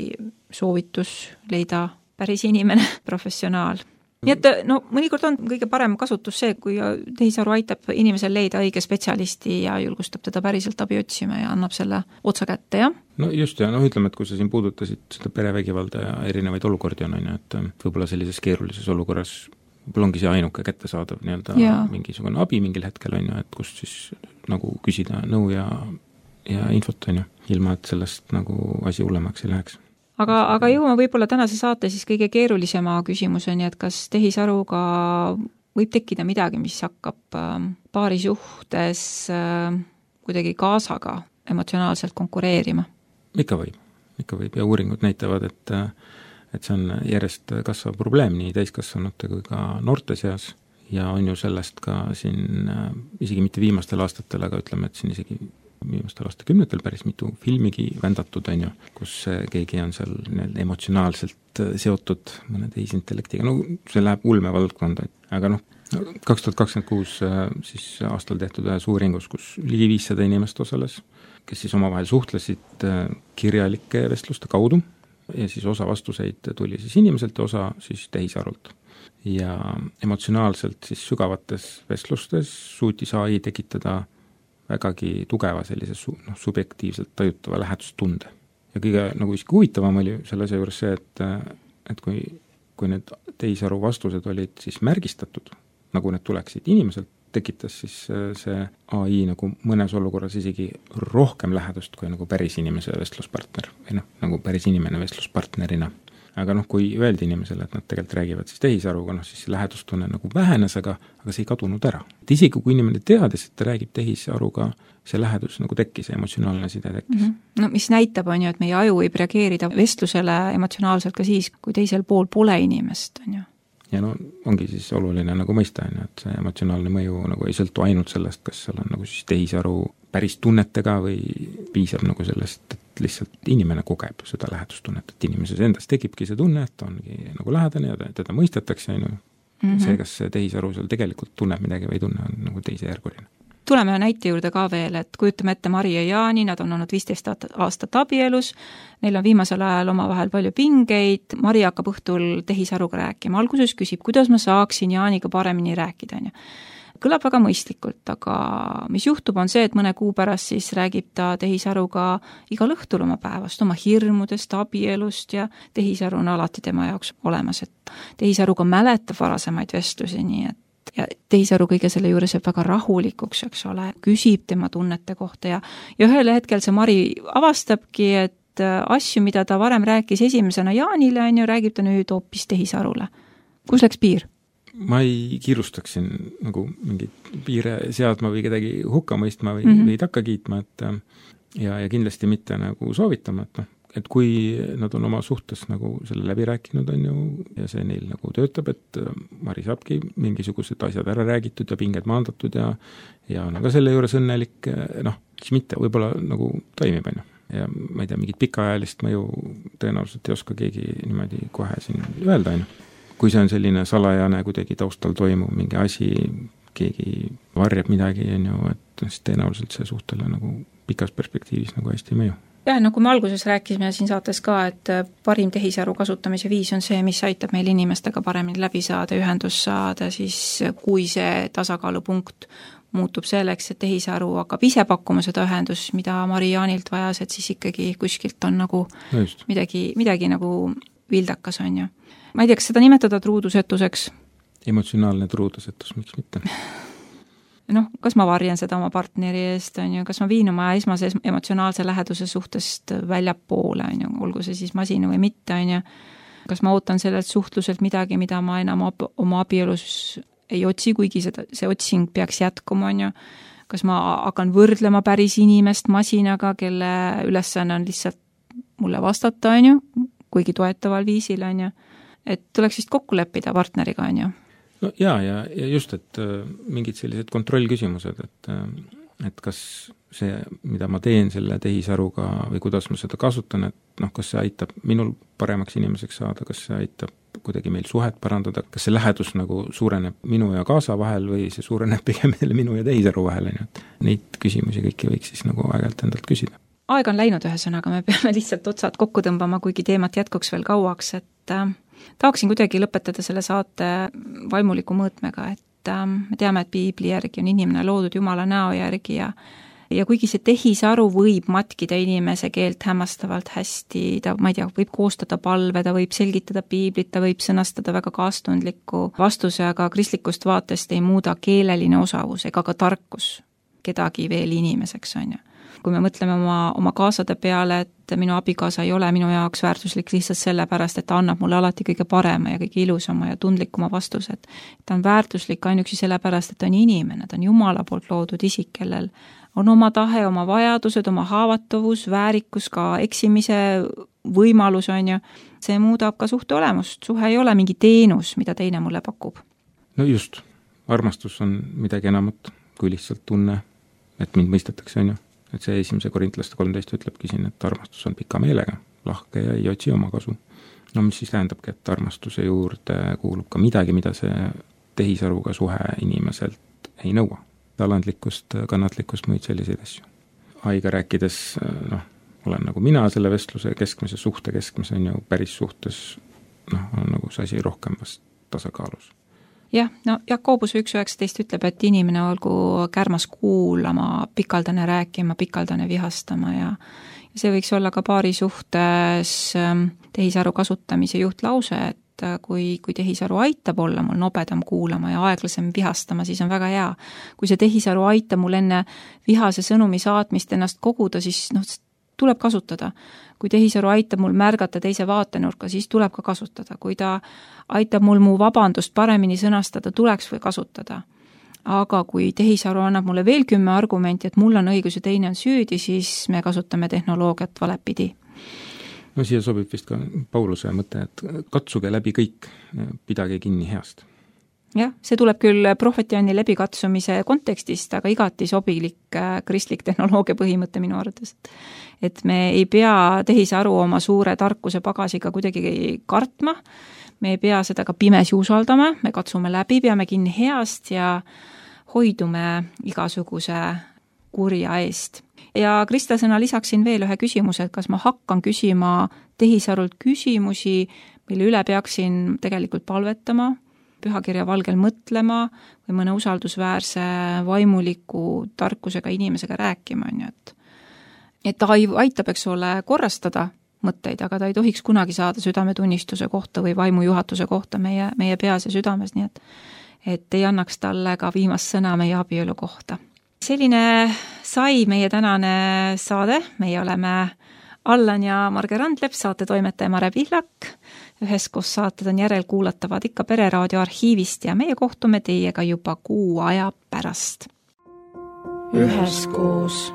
soovitus leida päris inimene, professionaal. Nii et mõnikord on kõige parem kasutus see, kui tehisaru aitab inimesel leida õige spetsialisti ja julgustab teda päriselt abi otsima ja annab selle otsa kätte, jah? Just ja ütleme, et kui sa siin puudutasid seda perevägivalda ja erinevaid olukordi on, et võib-olla sellises keerulises olukorras võib-olla ongi see ainuke kättesaadav mingisugune abi mingil hetkel, on ju, et kust siis küsida nõu ja infot, on ju, ilma et sellest asi hullemaks ei läheks. Aga jõuame võib-olla tänase saate siis kõige keerulisema küsimuseni, et kas tehisaruga võib tekkida midagi, mis hakkab paari suhtes kuidagi kaasaga emotsionaalselt konkureerima? Ikka võib ja uuringud näitavad, et see on järjest kasvav probleem nii täiskasvanute kui ka noorte seas ja on ju sellest ka siin isegi mitte viimastel aastatel, aga ütleme, et siin isegi viimastel aastakümnetel päris mitu filmigi vändatud, on ju, kus keegi on seal emotsionaalselt seotud mõne tehisintellektiga, see läheb ulmevaldkonda, aga 2026 siis aastal tehtud ühes uuringus, kus ligi 500 inimest osales, kes siis omavahel suhtlesid kirjalike vestluste kaudu ja siis osa vastuseid tuli siis inimeselt ja osa siis tehisarult. ja emotsionaalselt siis sügavates vestlustes suutis AI tekitada vägagi tugeva sellise subjektiivselt tajutava lähedustunde. Ja kõige nagu isegi huvitavam oli selle asja juures see, et kui need tehisaru vastused olid siis märgistatud, nagu need tuleksid inimeselt, tekitas siis see AI nagu mõnes olukorras isegi rohkem lähedust kui nagu päris inimese vestluspartner või nagu päris inimene vestluspartnerina. Aga kui öeldi inimesele, et nad tegelikult räägivad siis tehisaruga, siis see lähedustunne nagu vähenes, aga see ei kadunud ära. Et isegi kui inimene teadis, et ta räägib tehisaruga, see lähedus nagu tekkis, see emotsionaalne side tekkis. No mis näitab on ju, et meie aju võib reageerida vestlusele emotsionaalselt ka siis, kui teisel pool pole inimest, on ju. Ja ongi siis oluline nagu mõista, et see emotsionaalne mõju nagu ei sõltu ainult sellest, kas seal on nagu siis tehisaru päris tunnetega või piisab nagu sellest, et lihtsalt inimene kogeb seda lähedustunnet, et inimeses endas tekibki see tunne, et ta ongi nagu lähedane ja teda mõistetakse, see, kas see tehisaru seal tegelikult tunneb midagi või ei tunne, on nagu teisejärguline. Tuleme näite juurde ka veel, et kujutame ette Mari ja Jaani, nad on olnud 15 aastat abielus, neil on viimasel ajal omavahel palju pingeid, Mari hakkab õhtul tehisaruga rääkima, alguses küsib, kuidas ma saaksin Jaaniga paremini rääkida, on ju. Kõlab väga mõistlikult, aga mis juhtub on see, et mõne kuu pärast siis räägib ta tehisaruga igal õhtul oma päevast, oma hirmudest, abielust ja tehisaru on alati tema jaoks olemas, et tehisaruga mäletab varasemaid vestlusi, nii et ja tehisaru kõige selle juures jääb väga rahulikuks, eks ole, küsib tema tunnete kohta ja ühel hetkel see Mari avastabki, et asju, mida ta varem rääkis esimesena Jaanile, on ju, räägib ta nüüd hoopis tehisarule. Kus läks piir? Ma ei kiirustaksin nagu mingit piire seadma või kedagi hukka mõistma või takka kiitma, ja kindlasti mitte nagu soovitama, et kui nad on oma suhtes nagu selle läbi rääkinud, on ju, ja see neil nagu töötab, et Mari saabki mingisugused asjad ära räägitud ja pinged maandatud ja on aga selle juures õnnelik, siis mitte, võib-olla nagu toimib, on ju. Ja ma ei tea, mingit pikaajalist mõju tõenäoliselt ei oska keegi niimoodi kohe siin öelda, on ju. Kui see on selline salajane kuidagi taustal toimuv mingi asi, keegi varjab midagi, on ju, et siis tõenäoliselt see suhtele nagu pikas perspektiivis nagu hästi ei mõju. Jah, kui me alguses rääkisime siin saates ka, et parim tehisaru kasutamise viis on see, mis aitab meil inimestega paremini läbi saada, ühendus saada, siis kui see tasakaalupunkt muutub selleks, et tehisaru hakkab ise pakkuma seda ühendust, mida Mari Jaanilt vajas, et siis ikkagi kuskilt on nagu midagi nagu vildakas, on ju. Ma ei tea, kas seda nimetada truudusetuseks? Emotsionaalne truudusetus, miks mitte? Kas ma varjan seda oma partneri eest, on ju, kas ma viin oma esmase emotsionaalse läheduse suhtest väljapoole, on ju, olgu see siis masina või mitte, on ju. Kas ma ootan sellelt suhtluselt midagi, mida ma enam oma abielus ei otsi, kuigi see otsing peaks jätkuma, on ju. Kas ma hakkan võrdlema päris inimest masinaga, kelle ülesanne on lihtsalt mulle vastata, on ju, kuigi toetaval viisil, on ju. Et tuleks vist kokku leppida partneriga, on ju. No ja just, et mingid sellised kontrollküsimused, et kas see, mida ma teen selle tehisaruga või kuidas ma seda kasutan, et kas see aitab minul paremaks inimeseks saada, kas see aitab kuidagi meil suhet parandada, kas see lähedus nagu suureneb minu ja kaasa vahel või see suureneb pigem minu ja tehisaru vahel, et neid küsimusi kõiki võiks siis nagu aeg-ajalt endalt küsida. Aeg on läinud ühesõnaga, me peame lihtsalt otsad kokku tõmbama, kuigi teemat jätkuks veel kauaks, et tahaksin kuidagi lõpetada selle saate vaimuliku mõõtmega, et me teame, et piibli järgi on inimene loodud Jumala näo järgi ja kuigi see tehisaru võib matkida inimese keelt hämmastavalt hästi, ta, ma ei tea, võib koostada palve, ta võib selgitada piiblit, ta võib sõnastada väga kaastundliku vastuse, aga kristlikust vaatest ei muuda keeleline osavus ega ka tarkus kedagi veel inimeseks, on ju. Kui me mõtleme oma kaasade peale, et minu abikaasa ei ole minu jaoks väärtuslik lihtsalt sellepärast, et ta annab mulle alati kõige parema ja kõige ilusama ja tundlikuma vastuse, et ta on väärtuslik ainuüksi sellepärast, et ta on inimene, ta on Jumala poolt loodud isik, kellel on oma tahe, oma vajadused, oma haavatavus, väärikus, ka eksimise võimalus, on ju. See muudab ka suhte olemust, suhe ei ole mingi teenus, mida teine mulle pakub. No just, armastus on midagi enamat kui lihtsalt tunne, et mind mõistetakse, on ju. Et see 1. Korintlaste 13 ütlebki siin, et armastus on pika meelega, lahke ja ei otsi oma kasu. No mis siis tähendabki, et armastuse juurde kuulub ka midagi, mida see tehisaruga suhe inimeselt ei nõua. Talandlikkust, kannatlikkust, muid selliseid asju. Aiga rääkides, olen nagu mina selle vestluse keskmise, suhte keskmise, on ju päris suhtes, on nagu see asi rohkem vast tasakaalus. Jah, no Jakobus 1.19 ütleb, et inimene olgu kärmas kuulama, pikaldane rääkima, pikaldane vihastama ja see võiks olla ka paari suhtes tehisaru kasutamise juhtlause, et kui tehisaru aitab olla mul nobedam kuulama ja aeglasem vihastama, siis on väga hea. Kui see tehisaru aitab mul enne vihase sõnumi saatmist ennast koguda, siis tuleb kasutada. Kui tehisaru aitab mul märgata teise vaatenurka, siis tuleb ka kasutada. Kui ta aitab mul mu vabandust paremini sõnastada, tuleks või kasutada. Aga kui tehisaru annab mulle veel 10 argumenti, et mul on õigus ja teine on süüdi, siis me kasutame tehnoloogiat valepidi. No siia sobib vist ka Pauluse mõte, et katsuge läbi kõik, pidage kinni heast. Jah, see tuleb küll prohvetianni läbikatsumise kontekstist, aga igati sobilik kristlik tehnoloogia põhimõte minu arvates. Et me ei pea tehisaru oma suure tarkuse pagasiga kuidagi kartma, me ei pea seda ka pimesi usaldama, me katsume läbi, peame kinni heast ja hoidume igasuguse kurja eest. Ja Krista sõna lisaksin veel ühe küsimuse, et kas ma hakkan küsima tehisarult küsimusi, mille üle peaksin tegelikult palvetama, pühakirja valgel mõtlema või mõne usaldusväärse vaimuliku tarkusega inimesega rääkima. Et ta aitab, eks ole, korrastada mõtteid, aga ta ei tohiks kunagi saada südametunnistuse kohta või vaimujuhatuse kohta meie peas ja südames, nii et ei annaks talle ka viimast sõna meie abielu kohta. Selline sai meie tänane saade, meie oleme Allan ja Marge Randlep, saate toimetaja Mare Pihlak, üheskoos saated on järelkuulatavad ikka Pereraadio arhiivist ja meie kohtume teiega juba 6 aja pärast. Üheskoos.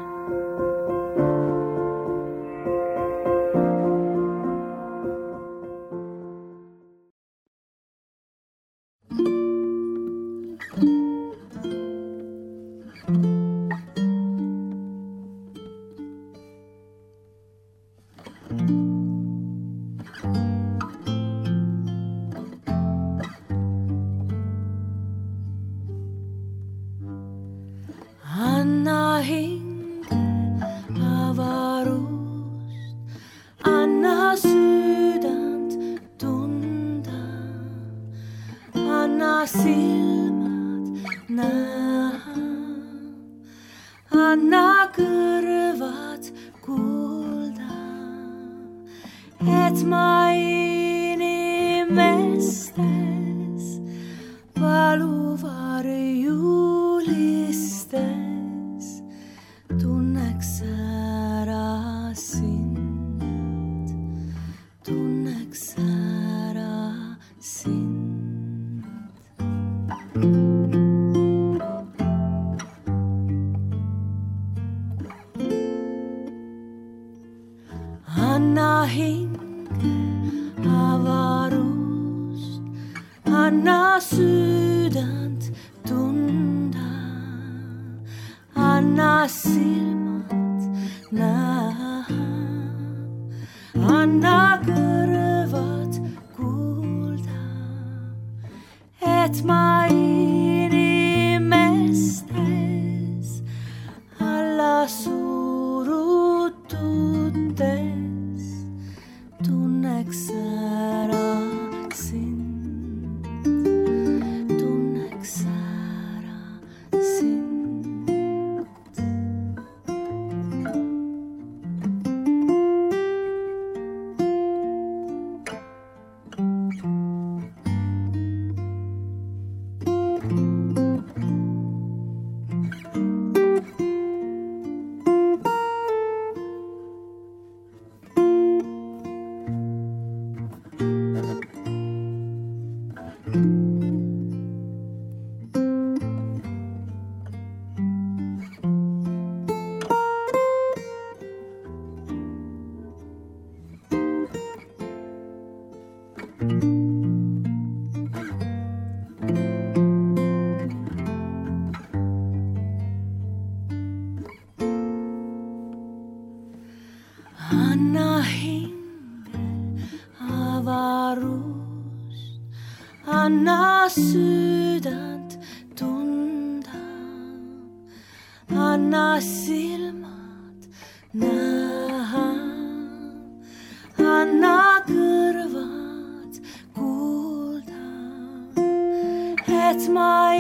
Anna sydänt tunda, anna silmät nähdä, anna kõrvad kuulda, ma